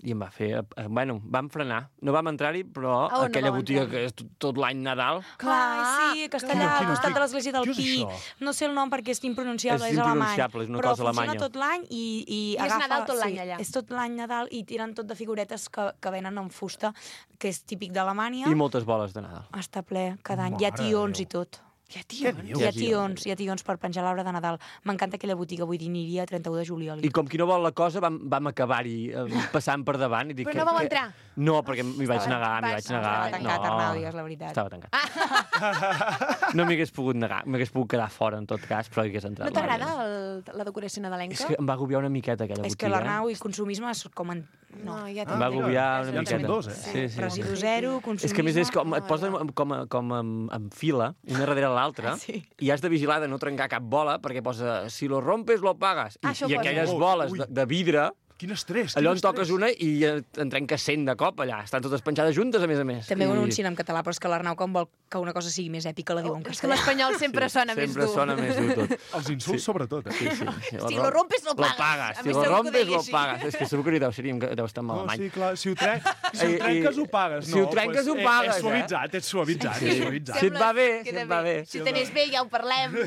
i em va fer... eh, Bueno, vam frenar. No vam entrar-hi, però
A on no
aquella
vau
botiga
entrar?
que és tot, tot l'any Nadal...
Clar, sí, que està allà al costat de l'església del
Què és
Pi.
això?
No sé el nom perquè és impronunciable,
És
és, alemany.
impronunciable, és una
però
cosa
funciona
alemanya.
tot l'any i, i,
I és
agafa...
Nadal tot l'any
sí,
allà.
És tot l'any Nadal i tiren tot de figuretes que, que venen en fusta, que és típic d'Alemanya.
I moltes boles de Nadal.
Està ple cada any. Hi ha
Mare de
tions
Déu.
i tot.
Hi ha
tions?
Hi ha tions, hi ha tions per penjar l'arbre de Nadal. M'encanta aquella botiga, vull dir, aniria a trenta-u de juliol.
I com qui no vol la cosa, vam, vam acabar-hi eh, passant per davant. I dic,
Però
que-
no vau
que-
entrar?
No, perquè m'hi vaig
Estava-
negar, m'hi
vas-
vaig negar.
Estava tancat,
no,
Arnau, digues la veritat.
Estava tancat. No m'hi hagués pogut negar, m'hagués pogut quedar fora, en tot cas, però hi hagués entrat.
No t'agrada el- la decoració nadalenca?
És que em va agobiar una miqueta aquella
És
botiga.
que l'Arnau i consumisme és com... En... No,
no ja
Em va agobiar una
Ja en som
miqueta.
dos, eh?
Sí, sí.
Residu zero, consumisme...
És que a més és com, et posen com, a- com en, en fila, una darrere l'altra,
Sí.
i has de vigilar de no trencar cap bola, perquè posa, si lo rompes, lo pagas. I,
Ah, això
i
ho posa.
aquelles
Ui,
boles
ui.
de, de vidre,
Quin estrès,
allò
quin
en toques
estrès.
una i eh, en trenques cent de cop allà. Estan totes penjades juntes, a més a més.
També ho
I...
anuncien en català, però és que l'Arnau, quan vol que una cosa sigui més èpica, la diu en
És que
castellà.
l'espanyol sempre sona més
Sempre
dur.
sona més dur tot.
Els insults, sobretot. Eh?
Sí, sí.
Si lo rompes, lo pagas.
Lo pagas.
A
Si
més,
lo
segur que ho
rompes,
deia
lo
així.
pagas. És que segur que ni deu ser, deu estar
No,
malament.
sí, clar, si ho, tre... si ho
I- i-
trenques ho pagues.
si ho
no,
trenques, ho
eh,
pagues,
És suavitzat, és suavitzat,
Sí.
és suavitzat.
Si et va bé, si
Queda
et va bé.
Si ho tenies bé, ja ho parlem.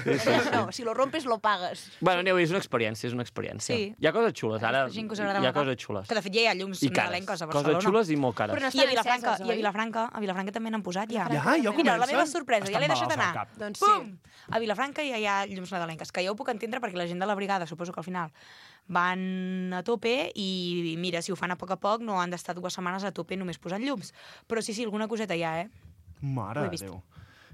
No, si lo rompes, lo pagues.
Bueno, aneu, és una experiència, és una experiència.
Sí.
Hi ha coses xules, ara
Gent que us agrada
hi ha
Nadal.
coses xules.
Que de fet ja hi ha llums
I cares.
nadalenques a
Coses
Barcelona.
xules i molt cares.
Però no
I a
estan
Vilafranca,
enceses,
i a
oi?
Vilafranca, a Vilafranca també n'han posat ja.
Ja, ja
Mira, la
comencen?
meva sorpresa, ja l'he
Estan
deixat
malalts al
anar.
cap.
Doncs
Pum! A Vilafranca ja hi ha llums nadalenques, que ja ho puc entendre perquè la gent de la brigada, suposo que al final van a tope i mira, si ho fan a poc a poc no han d'estar dues setmanes a tope només posant llums. Però sí, sí, alguna coseta hi ha, eh?
Mare
Ho he
de
vist.
Déu.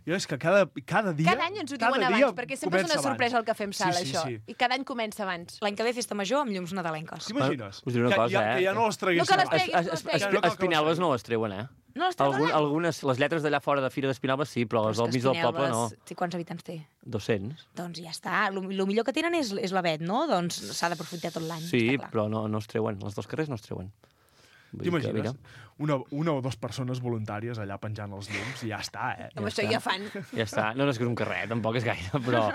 Jo és que cada, cada dia...
Cada any ens ho
cada
diuen
dia
abans, perquè sempre és
comença
una sorpresa el que fem sala,
Sí, sí,
això.
sí.
I cada any comença abans.
L'any que ve festa major amb llums nadalenques.
T'imagines?
Us diré una
que,
cosa,
ja,
eh?
que ja no les traguessin.
No que les
abans.
treguis, no les
Es-
treguis.
es-
Ja no cal que
Espinelves
les
no les treuen, eh?
No les treuen,
Algun,
eh?
algunes, les lletres d'allà fora de Fira d'Espinalbes sí, però les del mig del poble no.
Sí, quants habitants té?
dos-cents.
Doncs ja està. El millor que tenen és, és l'avet, no? Doncs s'ha d'aprofitar tot l'any.
Sí,
està clar.
però no, no es treuen. Els dos carrers no es treuen. Vull dir que,
T'imagines?
mira,
Una, una o dues persones voluntàries allà penjant els llums i ja està, eh?
Amb això ja fan.
Ja està. No, no és que és un carrer, tampoc és gaire, però...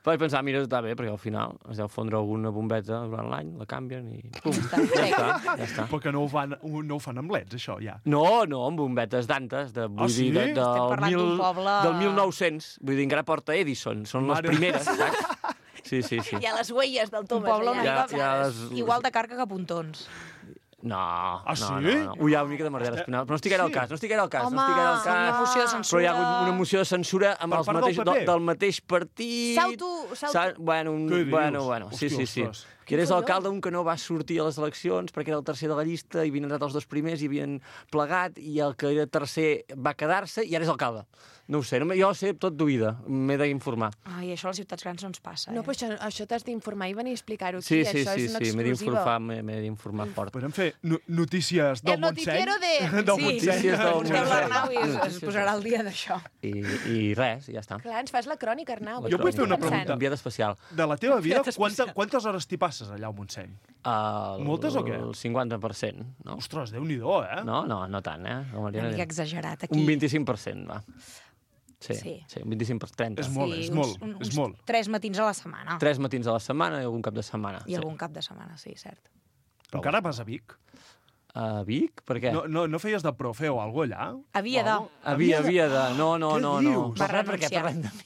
Vaig pensar, mira, està bé, perquè al final es deu fondre alguna bombeta durant l'any, la canvien i... Pum, ja està, ja està.
Però que no ho, fan, no ho fan amb leds, això, ja.
No, no, amb bombetes d'antes, de, vull
Ah,
dir,
sí?
de,
Estem
del,
parlant
mil,
d'un poble-
del mil nou-cents. Vull dir, encara porta Edison, són
Mare.
les primeres, saps? Sí, sí, sí.
Hi ha les huelles del
Un
Thomas.
poble
allà.
una
Ja-
mica...
ja les-
Igual de carca que Pontons.
No,
Ah,
no,
sí?
no, no. Ui, hi ha una mica de merder espinal. Però no estic gaire al cas, no estic gaire al cas,
Home,
no estic gaire al
sí,
cas.
una moció de censura.
Però hi ha hagut una moció de censura amb
Per
els
part del
mateix,
P P?
del, del mateix partit.
S'auto- s'auto-
S'ha- Bueno, un,
Què dius?
bueno, bueno, sí,
Hòstia,
sí, sí.
ostres.
Que eres
Què
alcalde, un que no va sortir a les eleccions perquè era el tercer de la llista i havien entrat els dos primers i havien plegat i el que era tercer va quedar-se i ara és alcalde. No ho sé, no, jo ho sé tot d'oïda, m'he d'informar.
Ai, això a les ciutats grans no ens passa, eh?
No, però això, això t'has d'informar i venir a explicar-ho aquí.
Sí, sí,
això
sí,
és una
sí, m'he
exclusiva.
d'informar, m'he m'he d'informar fort.
Podem fer no notícies del
El
Montseny?
noticiero de-
del
Sí.
Montseny.
Notícies del
Busqueu
Montseny.
l'Arnau i es, es
Notícies
posarà al dia d'això.
I, I res, ja està.
Clar, ens fas la crònica, Arnau.
Jo vull fer una
Estic pensant.
pregunta.
Enviat especial.
De la teva vida,
Fíjate,
quanta, quantes hores t'hi passes allà al Montseny?
El,
Moltes o què?
El cinquanta per cent, no?
Ostres, Déu-n'hi-do, eh?
No, no, no tant, eh? La
Una
Mariana
mica
diu-
exagerat, aquí.
Un vint-i-cinc per cent, va. Sí,
Sí.
sí, un vint-i-cinc per cent, trenta.
És molt, és molt,
uns,
és
uns
molt.
Tres matins a la setmana.
Tres matins a la setmana i algun cap de setmana.
I algun cap de setmana, sí, cert.
Encara vas a Vic?
A Vic? Per què?
No, no, no feies de profe o alguna cosa allà?
Havia de...
Havia, havia de... No, no,
Què
no, no.
dius?
Va
Per res, perquè
renunciar.
parlem de mi.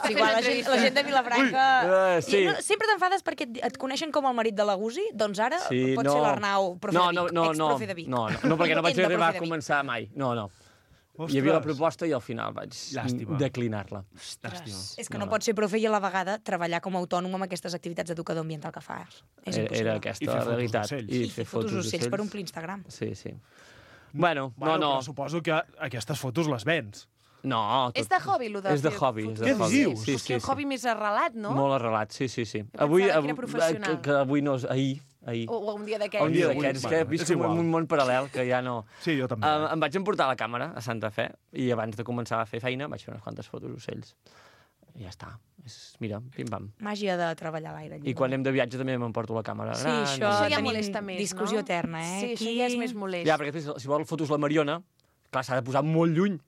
Sí, igual la gent, la gent de Vilafranca...
Ui, uh, sí.
I no, sempre t'enfades perquè et, et coneixen com el marit de la Gusi, doncs ara
Sí,
pot
no.
ser l'Arnau, profe
no,
de
no,
Vic,
no, no,
ex-profe de Vic.
no, no, no, perquè no vaig
Ent de
arribar
profe
a
de Vic.
començar mai. No, no.
Ostres.
Hi havia la proposta i al final vaig
Llàstima.
declinar-la.
Llàstima.
És que no, no pots ser profe i a la vegada treballar com a autònom amb aquestes activitats d'educador ambiental que fas. És
Era,
impossible.
era
I
aquesta
fer
la
fotos
realitat.
d'ocells.
I,
I fer fotos d'ocells per omplir Instagram.
Sí, sí. Bueno,
Bueno,
no, no.
però suposo que aquestes fotos les vens.
No, tot...
És de hobby, allò de
És de
fer
hobby.
fotos?
És de
Què
hobby.
dius?
Sí,
És
sí,
que un
sí.
hobby més arrelat, no?
Molt arrelat, sí, sí, sí.
pensava
Avui,
que era
avui
professional.
que, que avui no és... Ahir, ahir.
O, o un dia
Un
d'aquests.
dia
avui,
d'aquests,
bueno,
que
és
visc en
igual.
un món paral·lel que ja no...
Sí, jo també.
Uh, em vaig emportar la càmera a Santa Fe i abans de començar a fer feina vaig fer unes quantes fotos d'ocells. I ja està. És, mira, pim-pam.
Màgia de treballar a l'aire lliure.
I quan anem de viatge també m'emporto la càmera
Sí,
gran.
això,
Això ja
tenim
molesta més,
discussió
no?
eterna, eh?
Sí, això
Aquí-
ja és més molest.
Ja, perquè després, si vol fotos la Mariona, clar, s'ha de posar molt lluny.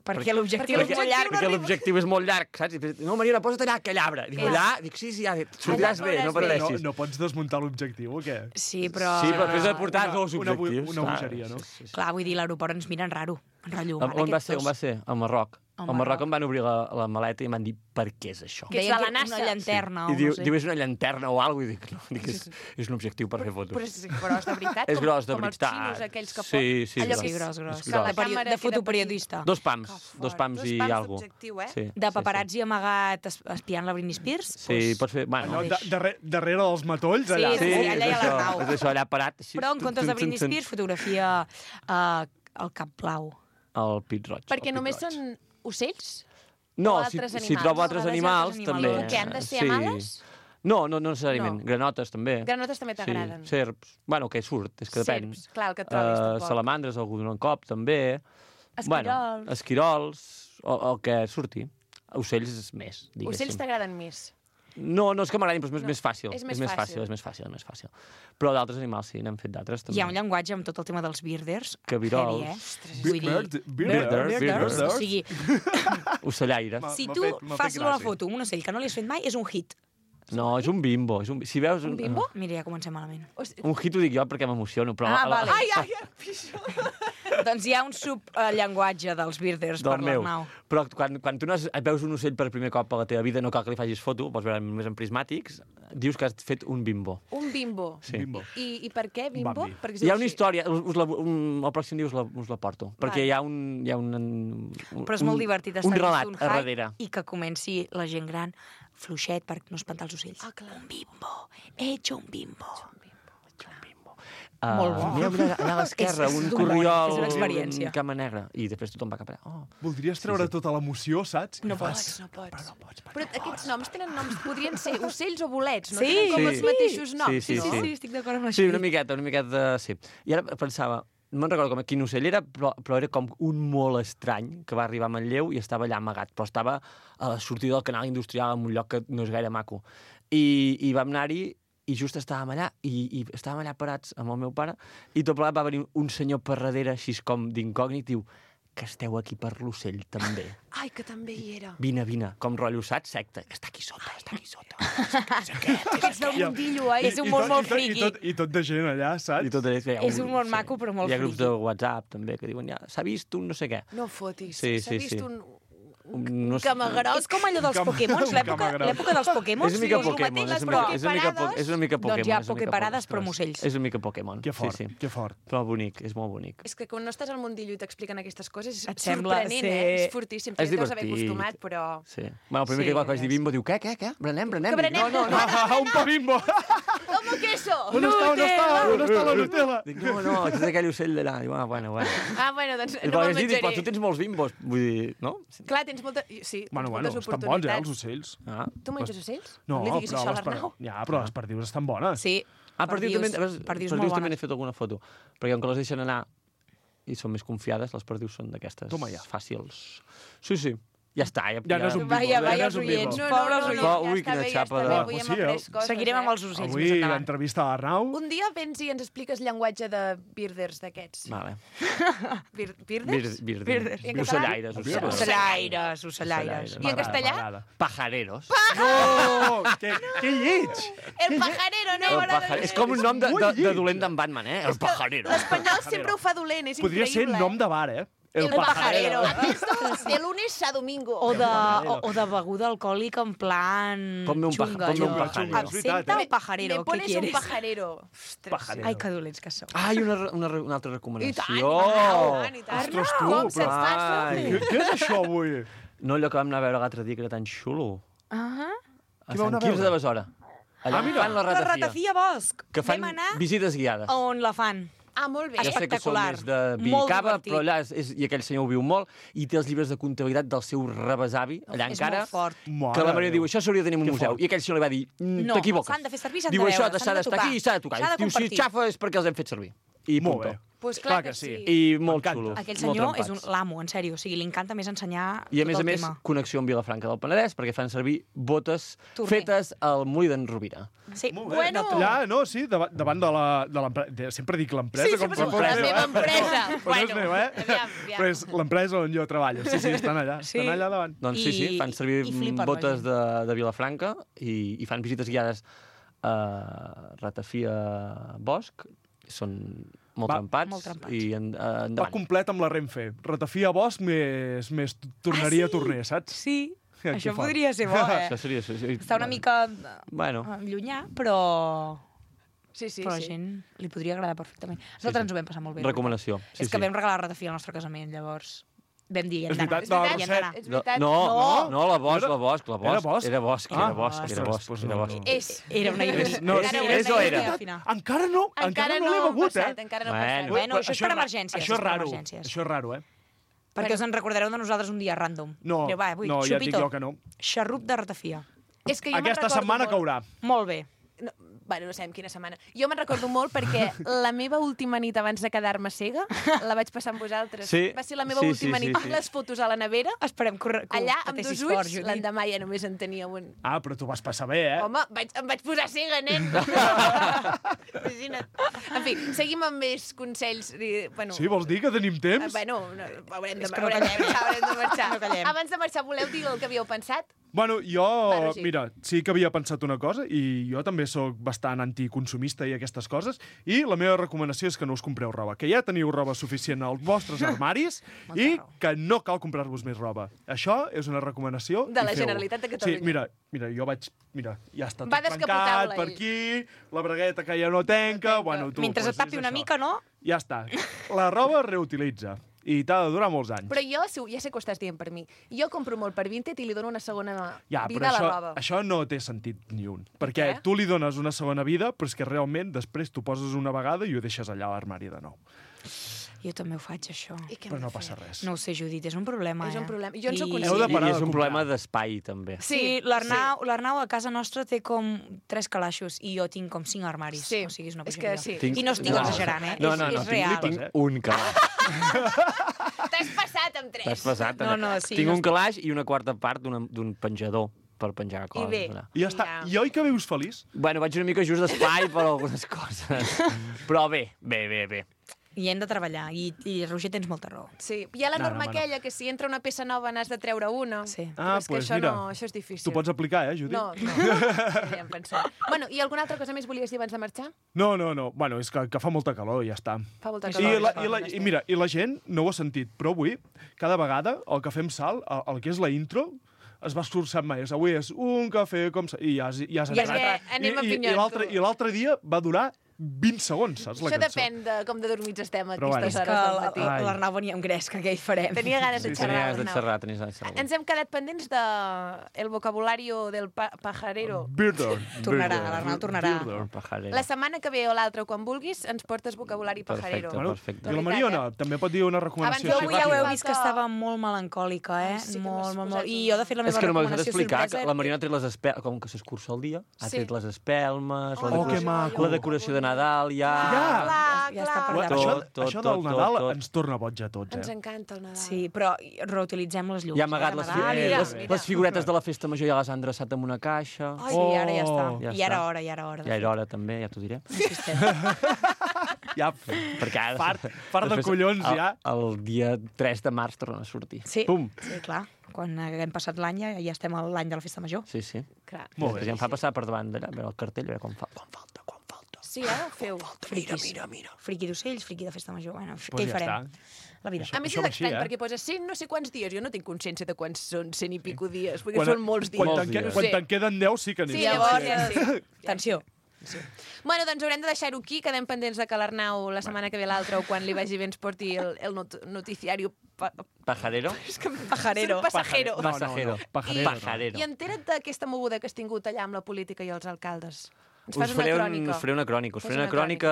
Perquè l'objectiu és molt llarg.
Perquè l'objectiu és molt llarg, saps? I, no, Mariona, posa't allà, aquell arbre. Dic, allà, dic, sí, sí, ja, sortiràs bé, no pateixis.
No, no pots desmuntar l'objectiu, o què?
Sí, però...
Sí, però després de portar dos
Una,
objectius.
una bogeria, no?
Sí, sí, sí.
Clar, vull dir, l'aeroport ens miren raro. En rotllo,
On, on va ser? On va ser? Al Marroc. Al Marroc em van obrir la, la maleta i em van dir per què és això.
Que és de la NASA. Una llanterna
sí.
o
I diu,
no sé.
diu, és una llanterna o alguna cosa. I dic, no, dic, és, és un objectiu per fer fotos.
Però és gros de veritat?
És gros de
com
veritat.
Com els xinos aquells que
sí, sí,
allò
gros.
Sí, gros, gros.
És
De,
gros.
perio... de fotoperiodista.
Dos pams, dos pams i alguna
cosa.
Sí,
de paparazzi sí, sí. amagat espiant la Britney Spears.
Sí, pues... pots fer... Bueno,
no, darrere, darrere dels matolls, allà.
Sí, sí, allà hi ha l'Arnau.
És això, allà parat. Així,
però en comptes de Britney Spears, fotografia uh, al Cap Blau.
El Pit Roig.
Perquè només són ocells?
No, si, si trobo altres animals, també.
Que han de ser amales?
No, no, no necessàriament. No. Granotes, també.
Granotes també t'agraden?
Sí, serps. Bueno, que surt, és que depèn.
Serps, clar, el que et trobis, uh, tampoc.
Salamandres, algú d'un cop, també.
Esquirols.
Bueno, esquirols, o, el que surti. Ocells és més, diguéssim.
Ocells t'agraden més?
No, no és que m'agradin, però és
no,
més fàcil.
És més,
és més
fàcil.
fàcil. És més fàcil, és més fàcil. Però d'altres animals sí, n'hem fet d'altres, també.
Hi ha un llenguatge amb tot el tema dels birders.
Cabirols.
Heavy, eh?
Vull dir... Birders?
Birders? O sigui...
Ocellaires.
Si tu fas una foto amb un ocell que no li has fet mai, és un hit.
No, és un bimbo. És un... Si veus...
Un bimbo? Mira, ja comencem malament.
Un hit ho dic jo perquè m'emociono, però...
Ah, vale.
Ai, ai, ai,
doncs hi ha un subllenguatge dels birders per l'Arnau.
Però quan, quan tu no has, veus un ocell per primer cop a la teva vida, no cal que li facis foto, pots veure només en prismàtics, dius que has fet un bimbo.
Un bimbo?
Sí.
Bimbo.
I, I per què bimbo? Perquè
hi ha una història, us la, un, el pròxim dia us la, us la porto, vale. Perquè hi ha un... Hi ha un, un
Però és molt divertit estar
un relat
un
a darrere.
I que comenci la gent gran fluixet per no espantar els ocells.
Ah, clar.
Un bimbo, he hecho un bimbo.
Uh,
Molt bo.
Mira, mira, allà a l'esquerra,
És- és
un
d'un
corriol,
és una experiència.
un cama negra, i després tothom va cap allà. Oh.
Voldries treure sí, sí. tota l'emoció, saps?
No
I fas...
pots, no pots.
Però, no pots, però,
però
no
aquests
pots.
noms tenen noms, podrien ser ocells o bolets, no
Sí.
tenen com
Sí.
els mateixos noms.
Sí, sí,
no?
sí.
Sí, estic d'acord amb això.
Sí, una miqueta, una miqueta, sí. I ara pensava, no me'n recordo com quin ocell era, però, però era com un molt estrany que va arribar a Manlleu i estava allà amagat, però estava a la sortida del canal industrial en un lloc que no és gaire maco. I, i vam anar-hi i just estàvem allà, i, i estàvem allà parats amb el meu pare, i tot plegat va venir un senyor per darrere, així com d'incògnit, diu, que esteu aquí per l'ocell, també.
Ai, que també hi era.
Vine, vine, com rotllo, saps? Secta. Està aquí sota, està aquí sota.
És del mundillo, eh?
És un món molt friqui.
I tot, I tot de gent allà, saps?
I tot allà,
És un món maco, però molt
Hi ha grups
friqui.
de WhatsApp, també, que diuen, ja, s'ha vist un no sé què.
No fotis.
Sí,
S'ha
sí,
vist
sí.
un...
No sé.
Camagarot.
És com allò dels
Un cama-
Pokémons,
un
l'època
camagarot.
l'època dels Pokémons.
És una mica
sí, és el
Pokémon,
mateix,
és
les
una mica, és una mica, po- és una mica Pokémon.
Doncs hi ha
és una mica
Poképarades,
Pokémon.
però amb ocells.
És una mica Pokémon.
Que fort,
Sí, sí.
que fort.
Però bonic, és molt bonic.
És que quan no estàs al mundillo i t'expliquen aquestes coses és
Et sembla
sorprenent,
ser-
eh? És fortíssim. Tu
És
ja t'has d'haver
divertit.
acostumat, però...
Sí. Bueno, el primer
Sí,
que vaig dir
és.
bimbo diu, què, què, què? Brenem, brenem.
Que
Dic,
brenem?
No, no, no.
Ah, un pa bimbo!
Com queso!
On està, on està, on està la Nutella?
Dic, no, no, és aquell ocell d'allà. Diu, ah, bueno, bueno.
Ah, bueno, doncs
I
no
no
me'l
dit, dic, però
menjaré.
tu tens molts bimbos. Vull dir, no?
Clar, tens molta... Sí, tens
Bueno, bueno,
moltes
estan bons, eh, els
oportunitats.
ocells.
Ah.
Tu menges ocells?
No,
li diguis
però
això a
les per...
l'Arnau.
Ja, però les perdius estan bones.
Sí.
Ah, perdius també,
Perdius-
perdius,
perdius
perdius
molt
també n'he
bones.
fet alguna foto. Perquè com que les deixen anar i són més confiades, les perdius són d'aquestes
Toma ja.
fàcils. Sí, sí. Ja està. Ja,
Ja no és un bimbo.
Vaya,
ja
vaya,
no
els
és un
oients,
bimbo.
No, no,
pobres
no, no,
oients.
ja
Ui,
està
quina
bé, ja
xapa
està
de-
bé. Avui
Pues
hem
sí,
après
eh?
coses,
Seguirem
eh?
amb els ocells
Avui
més endavant.
l'entrevista a l'Arnau.
Un dia vens i ens expliques llenguatge de birders d'aquests.
Vale.
Bir birders?
Bir, bir,
Birders. I en català?
Ocellaires, ocellaires.
Ocellaires, ocellaires.
I en castellà?
M'agrada.
Pajareros.
No! Que, que lleig!
El pajarero, no?
El
m'agrada
pajar...
gens.
És com un nom de, de,
molt
de
lleig.
dolent d'en Batman, eh? El pajarero.
L'espanyol sempre ho fa dolent, és
Podria ser
increïble.
nom de bar, eh?
El pajarero.
Aquests de lunes a domingo.
O de, o, o de beguda alcohòlica en plan
Ponme un paja-
xunga.
ponme un
allò.
pajarero.
És veritat,
Absenta
eh?
o pajarero?
Me
Què
pones un
quieres?
pajarero. Ostres.
Pajarero.
Ai, que dolents que sou.
Ah, i una, re- una, re- una altra
I
recomanació.
tant, i tant, i tant.
Ostres, tu,
Com se't
però-
passa?
Ai.
Què, què és això avui?
No allò que vam anar a veure l'altre dia, que era tan xulo.
Ah,
A
Qui vau
Sant
anar a
Quirze
veure?
de Besora. Allà
Ah, mira.
fan la
la
ratafia.
ratafia Bosc.
Que fan
Vam anar
visites guiades.
on la fan.
Ah, molt bé.
Ja sé que són
espectacular.
més de vi i
Molt
cava,
divertit.
però allà és, és, i aquell senyor ho viu molt, i té els llibres de comptabilitat del seu rebesavi, allà
És
encara,
molt fort.
Mare
que la Maria
de
diu,
Déu.
això s'hauria de tenir en un
Que
museu.
fort.
I aquell senyor li va dir, "Mm,
No,
t'equivoques.
s'han de fer servir, s'han de
Diu, això
veure,
s'ha
s'han de
d'estar
tocar.
aquí i s'ha de tocar.
S'ha de
Diu, si
compartir.
xafa és perquè els hem fet servir. I
Molt
puntó.
bé.
Pues clar, clar que sí.
I molt xulo.
Aquell senyor és un l'amo, en sèrio. O sigui, li encanta més ensenyar
I a
tot
més a
el
més,
tema.
connexió amb Vilafranca del Penedès, perquè fan servir botes
Torner.
fetes al Molí d'en Rovira.
Sí,
Bueno. Allà, no, sí, davant, davant de la- de l'empresa. Sempre dic l'empresa.
Sí,
com
sempre
si fos
la
meu,
meva
eh?
empresa.
Però no és
Bueno,
meu, eh?
aviam, aviam.
Però és l'empresa on jo treballo. Sí, sí, estan allà.
Sí.
Estan allà davant.
Doncs sí, sí, fan servir
i flipen la
botes
gent.
de, de Vilafranca i, i fan visites guiades a Ratafia Bosch. Són molt
Va,
trempats.
molt trempats.
I en, uh,
Va
endavant.
complet amb la Renfe. Ratafia Bosch més, més tornaria
Ah, sí?
Torner, saps?
Sí,
Que
això
fort.
podria ser bo, eh?
Això seria... Això, seria-
Està una mica
Bueno,
eh, llunyà, però...
Sí, sí,
però a la
sí.
gent li podria agradar perfectament. Nosaltres
sí.
ens ho vam passar molt bé.
recomanació. Sí,
és que
sí.
vam regalar ratafia al nostre casament, llavors vam dir, hi hem
És
d'anar.
veritat, no,
Hi hem d'anar.
És
No,
veritat.
no,
No.
no, la Bosch,
Era-
la Bosch, la Bosch.
era Bosch?
Era Bosch,
Ah,
era Bosch, era
ostres,
Bosch,
doncs
era
no,
Bosch.
no.
És.
Era una ironia.
No,
Encara
sí,
ho
és
hem
o
de
era?
dir.
Final.
Encara no, encara,
Encara
no
no
l'he
ha
begut,
passat,
eh?
encara no ha
Bueno.
passat.
Bueno, això és per
ra-
emergències,
Això és
és per
raro,
emergències.
això és raro, eh?
Perquè us en recordareu de nosaltres un dia random.
No,
Diu, va, avui,
no, ja et dic
xupito.
jo que no.
Xarrup de ratafia.
És que jo me'n
Aquesta
recordo
setmana
molt.
caurà.
Molt bé.
No, bueno, no sabem quina setmana. Jo me'n recordo molt perquè la meva última nit abans de quedar-me cega la vaig passar amb vosaltres.
Sí,
Va ser la meva
sí,
última
sí,
nit.
sí, sí.
Les fotos a la nevera,
Esperem que, ho- que ho
allà amb
patessis
dos
fort,
ulls,
Judit.
l'endemà ja només en tenia un.
Ah, però tu vas passar bé, eh?
Home, vaig, em vaig posar cega, nen. Imagina't. En fi, seguim amb més consells. i, Bueno,
Sí, vols dir que tenim
eh,
temps?
bueno, no, haurem de,
És que no
haurem de
callem.
marxar, haurem de marxar.
No callem.
Abans de marxar, voleu dir el que havíeu pensat?
Bueno, jo,
Bueno, sí.
mira, sí que havia pensat una cosa i jo també sóc bastant anticonsumista i aquestes coses i la meva recomanació és que no us compreu roba, que ja teniu roba suficient als vostres armaris i
raó.
que no cal comprar-vos més roba. Això és una recomanació.
De
i
la
feu-ho.
Generalitat de Catalunya.
Sí, mira, mira, jo vaig... Mira, ja està tot
Va
tancat
descapotable,
per
ell.
aquí, la bragueta que ja no tenca...
No tenca.
Bueno, tu,
Mentre
pues
et tapi
és
una
això.
mica, no?
Ja està. La roba es reutilitza i t'ha de durar molts anys.
Però jo, si- ja sé que ho estàs dient per mi, jo compro molt per Vinted i li dono una segona
Ja,
vida
però
a la
això,
roba.
això no té sentit ni un. Perquè
què?
tu li dones una segona vida, però és que realment després tu poses una vegada i ho deixes allà a l'armari de nou.
Jo també ho faig, això.
I què
Però
hem
no
de fer?
passa res.
No ho sé, Judit, és un problema,
És un
eh?
problema. Jo en sóc
I-
conscient.
Heu de
I,
parar
I
de
és un
comprar.
problema d'espai, també.
Sí, l'Arnau l'Arnau a casa nostra té com tres calaixos i jo tinc com cinc armaris.
Sí,
O sigui, és una
és
bogeria.
que sí.
Tinc-
I no estic
no.
exagerant, eh?
No,
és,
no, no,
és
tinc,
real.
tinc
eh?
un calaix.
T'has passat amb tres.
T'has passat.
No,
Anna.
no, sí,
tinc
no
un
estic-
calaix i una quarta part d'una- d'un penjador per penjar
I
coses.
bé.
allà.
I ja està.
Ja.
I oi que vius feliç?
Bueno, vaig una mica just d'espai per algunes coses. Però bé, bé, bé, bé.
I hem de treballar. I, i Roger, tens molta raó.
Sí, hi ha la
No,
norma
no, home, no.
aquella que si entra una peça nova n'has de treure una.
Sí.
Però
Ah,
és que
pues
això,
mira,
no, això és difícil.
Tu pots aplicar, eh, Judit?
No, no. Ja hem pensat. Bueno, i alguna altra cosa més volies dir abans de marxar?
No, no, no. Bueno, és que, que fa molta calor i ja està.
Fa molta
I,
calor.
la, i, la, I mira, i la gent no ho ha sentit, però avui, cada vegada, el que fem salt, el, el que és la intro, es va esforçant més. Avui és un cafè com... sa- I ja has, ja has
I és
entrat.
que anem
I, i,
apinyant,
i l'altre
tu.
I l'altre dia va durar vint segons, saps, la
Això
cançó?
depèn de com de dormits estem a
Però
aquestes
bueno.
És que
hores del matí.
Ai.
l'Arnau venia amb gresca, què hi farem?
Tenia ganes de
Sí, sí.
xerrar.
Tenies de
Arnau.
xerrar, tenies de xerrar.
Ens hem quedat pendents de el vocabulario del pa pajarero.
Birder.
Tornarà,
Birder.
l'Arnau tornarà.
Birder.
Pajarero.
La setmana que ve o l'altra, quan vulguis, ens portes vocabulari pajarero.
Perfecte.
Bueno,
Perfecte.
I la
De
Mariona
veritat,
també pot dir una recomanació
Abans
Jo
així
avui ja ho heu
ràpida.
vist que estava molt melancòlica, eh?
Ai, sí que
molt,
m'has
molt,
posat
molt. I
un-
jo, de fet, la
És
meva
que no m'has
recomanació
d'explicar
sorpresa...
que la Mariona ha tret les espelmes, com que s'escurça el dia, ha
Sí.
tret les espelmes, la,
Oh,
decoració,
que maco.
la decoració de Nadal, ja...
Ja.
Clar,
Ja està
clar.
per
Bueno,
allà.
això,
Tot, tot,
això
tot,
del Nadal
tot.
ens torna boig a tots,
Ens
eh?
encanta el Nadal.
Sí, però reutilitzem les llums.
Ja ha amagat
de
les,
Nadal.
fi
mira,
les,
mira.
les figuretes de la festa major, ja les han dreçat en una caixa.
Ai, sí, ara ja està.
Ja
I ara
està.
hora, i ara hora. de
Ja
fet.
era hora, també, ja t'ho diré.
Ja,
Perquè ara...
Fart- fart de
després,
collons,
el,
ja.
El dia tres de març tornen a sortir.
Sí,
Pum!
sí, clar. Quan haguem passat l'any ja, ja estem a l'any de la festa major.
Sí, sí.
Clar.
Molt bé.
Després ja em fa passar per davant d'allà, a veure el cartell, a veure quan, fa, quan falta, quan falta.
Sí, eh? Ho feu.
Mira, mira, mira.
Friqui d'ocells, friqui de festa major. Bueno,
Pues
què hi
ja
farem?
està.
La vida.
A més,
Això
és
va així,
estrany,
eh?
perquè posa cent no sé quants dies. Jo no tinc consciència de quants són cent i pico dies, perquè
Quan,
són molts dies.
quan,
Molts
te'n, que-
dies.
quan
Sí.
te'n queden deu sí que n'hi
Sí,
ha.
llavors ja sí.
Atenció.
Bueno, doncs haurem de deixar-ho aquí. Quedem pendents de que l'Arnau la setmana que ve l'altra o quan li vagi bé ens porti el, el not noticiario pa
Pajarero?
pajarero. Pasajero.
No, no, no.
Pasajero.
Pajarero.
I,
Pajarero.
I entera't d'aquesta moguda que has tingut allà amb la política i els alcaldes. Ens
Us
fas una
faré, un,
crònica.
us faré una crònica, us
Fes
faré una
una
crònica...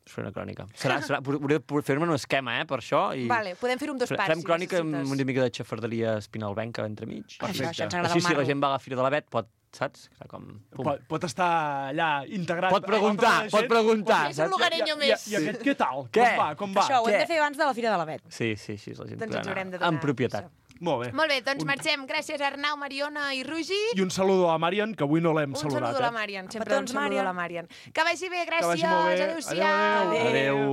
Us faré una crònica. Serà, serà, hauré de fer-me un esquema, eh, per això. I
Vale, podem fer-ho amb dos
Fem-
parts,
Fem
si
crònica amb
necessites.
una mica de xafarderia espinalbenca entremig.
Això, això ens agrada
Així,
el
si la
marro.
gent va a la Fira de l'Avet, pot saps? Era com...
Pot, pot estar allà integrat...
Pot preguntar, pot preguntar.
És un lugareño més.
I, i, i aquest què tal?
Què?
Com va? Com va?
Això ho hem
Què?
de fer abans de la Fira de l'Avet.
Sí, sí, sí, la gent
Doncs
podrà
ens haurem de
anar
donar
en propietat.
Molt bé.
Molt bé, doncs marxem. Gràcies a Arnau, Mariona i Rogi.
I un saludo a Marian, que avui no l'hem
Un
saludat.
saludo a la
eh?
Marian, sempre
Petons,
un saludo
Marian.
a la Marian. Que vagi bé, gràcies.
vagi molt bé.
Adéu-siau.
Adéu.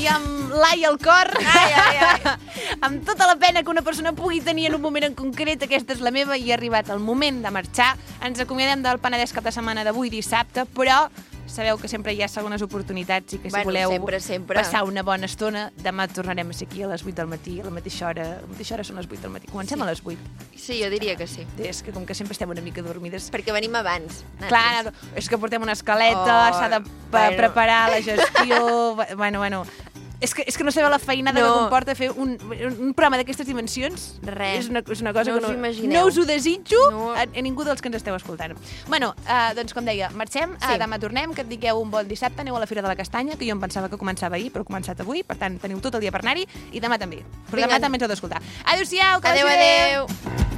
I amb l'ai al cor, ai, ai, ai. amb tota la pena que una persona pugui tenir en un moment en concret, aquesta és la meva, i ha arribat el moment de marxar. Ens acomiadem del Penedès cap de setmana d'avui dissabte, però sabeu que sempre hi ha segones oportunitats i que si
Bueno,
voleu
sempre, sempre.
passar una bona estona, demà tornarem a ser aquí a les vuit del matí, a la mateixa hora. A la mateixa hora són les vuit del matí. Comencem
Sí.
a les vuit.
Sí, jo diria que sí.
És que com que sempre estem una mica dormides...
Perquè venim abans.
Clar, és que portem una escaleta,
Oh,
s'ha de
bueno.
bueno. preparar la gestió... bueno, bueno... És que, és que no sabeu la feinada
No.
que comporta fer un, un programa d'aquestes dimensions.
Res.
És una, és una cosa
No
que
us ho
no,
imagineu.
no us ho desitjo
No.
a, a ningú dels que ens esteu escoltant. Bueno, uh, doncs com deia, marxem, sí. uh, demà tornem, que et digueu un bon dissabte, aneu a la Fira de la Castanya, que jo em pensava que començava ahir, però ha començat avui, per tant teniu tot el dia per anar-hi, i demà també. Però
Vinga.
demà també ens heu d'escoltar. Adéu-siau, que
Adéu,
vagi bé.
adéu.